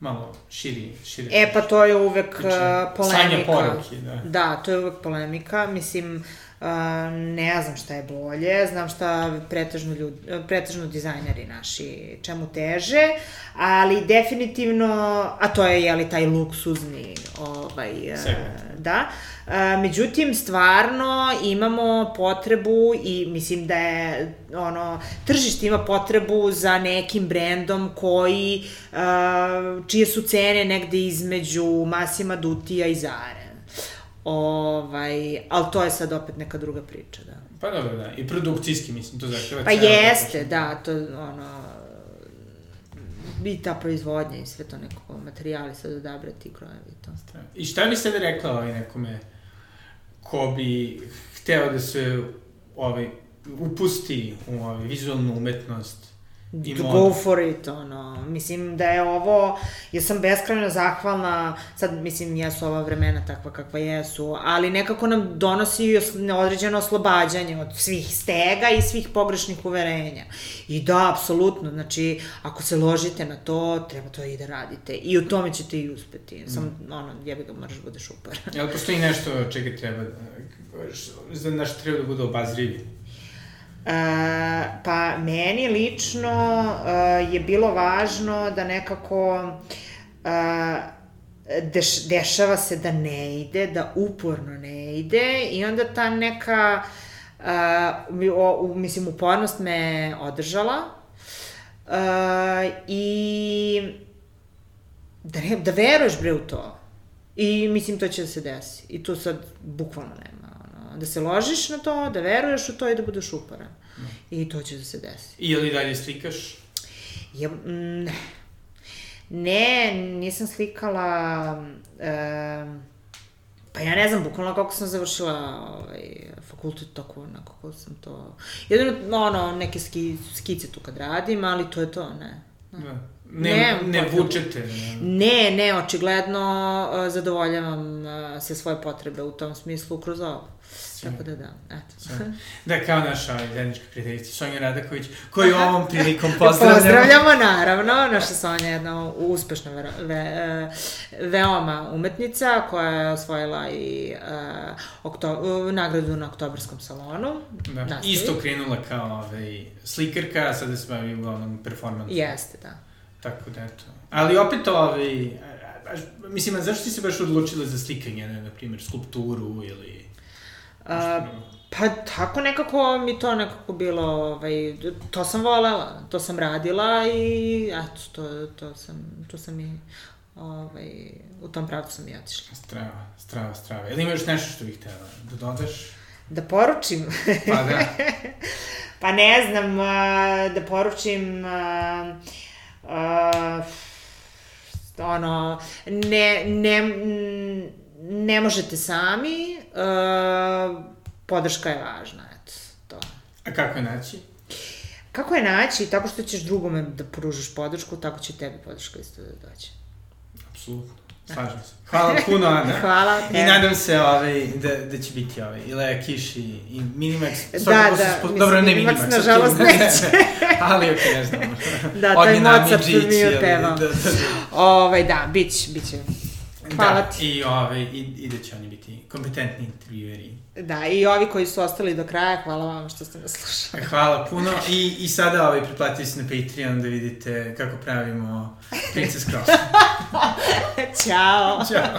A: malo širi, širi.
B: E, pa to je uvek uh, polemika.
A: Sanja poruke, da.
B: Da, to je uvek polemika. Mislim, uh, ne znam šta je bolje, znam šta pretežno, ljudi, pretežno dizajneri naši čemu teže, ali definitivno, a to je, jeli, taj luksuzni, ovaj, uh, da. Uh, međutim, stvarno imamo potrebu i mislim da je, ono, tržište ima potrebu za nekim brendom koji, uh, čije su cene negde između Massima Duttija i Zare. Ovaj, ali to je sad opet neka druga priča, da.
A: Pa dobro, da, i produkcijski, mislim, to zahteva.
B: Pa jeste, da, to, ono, i ta proizvodnja i sve to neko materijali sad odabrati, krojevi i to.
A: I šta bi sad rekla ovaj nekome ko bi hteo da se ovaj, upusti u ovaj, vizualnu umetnost i modu?
B: Go for it, ono. Mislim da je ovo, ja sam beskrajno zahvalna, sad mislim jesu ova vremena takva kakva jesu, ali nekako nam donosi određeno oslobađanje od svih stega i svih pogrešnih uverenja. I da, apsolutno, znači, ako se ložite na to, treba to i da radite. I u tome ćete i uspeti. Sam, mm. ono, jebi ga, moraš budeš upar.
A: Jel postoji nešto čega treba, za nešto treba da bude obazrivi?
B: Uh, pa meni lično uh, je bilo važno da nekako uh, deš, dešava se da ne ide, da uporno ne ide i onda ta neka uh, o, mislim upornost me održala uh, i da, ne, da veruješ bre u to i mislim to će da se desi i tu sad bukvalno nema. Da se ložiš na to, da veruješ u to i da budeš uporan. No. I to će da se desi.
A: I ili dalje slikaš?
B: Ja, ne. Ne, nisam slikala... E, pa ja ne znam, bukvalno kako sam završila ovaj, fakultet, tako onako kako sam to... Jedino, ono, neke ski, skice tu kad radim, ali to je to, ne.
A: Da. Ne, ne, ne vučete. Ne.
B: ne, ne, očigledno uh, zadovoljavam uh, sve svoje potrebe u tom smislu kroz ovo. Sve. Tako da da, eto.
A: Da, kao naša zajednička prijateljica Sonja Radaković, koju ovom prilikom pozdravljamo.
B: Pozdravljamo, naravno. Naša Sonja je jedna uspešna ve, ve, veoma umetnica koja je osvojila i uh, okto, uh, nagradu na Oktobarskom salonu.
A: Da, nastavi. Isto krenula kao ovaj, slikarka, a sada se bavi uglavnom performansom.
B: Jeste, da.
A: Tako da, eto. Ali opet ovaj, mislim, a zašto ti se baš odlučila za slikanje, ne, na primjer, skulpturu ili...
B: A, pa tako nekako mi to nekako bilo, ovaj, to sam volela, to sam radila i eto, to, to sam, to sam i, ovaj, u tom pravcu sam i otišla.
A: Strava, strava, strava. Ili ima još nešto što bih htjela da dodaš?
B: Da poručim?
A: Pa da.
B: Pa ne znam, da poručim... Uh, ono, ne, ne, ne možete sami, uh, podrška je važna, eto, to.
A: A kako je naći?
B: Kako je naći? Tako što ćeš drugome da pružiš podršku, tako će tebi podrška isto da dođe.
A: Apsolutno. Slažem se. Hvala puno, Ana.
B: Hvala tebi.
A: I nadam se ovaj, da, da će biti ovaj, i Lea Kiš i, i Minimax.
B: Da, da.
A: Spo... Dobro, ne Minimax.
B: Minimax, nažalost, neće.
A: Ali, ok, ne znam.
B: Da, taj Mozart mi je pevao. Da, da, da. Ovaj, da, bić, biće. Hvala
A: da,
B: ti.
A: I, ovaj, i, i da će oni biti kompetentni intervjueri.
B: Da, i ovi koji su ostali do kraja, hvala vam što ste nas slušali.
A: Hvala puno. I, i sada ovaj, priplatite se na Patreon da vidite kako pravimo Princess Cross.
B: Ćao.
A: Ćao.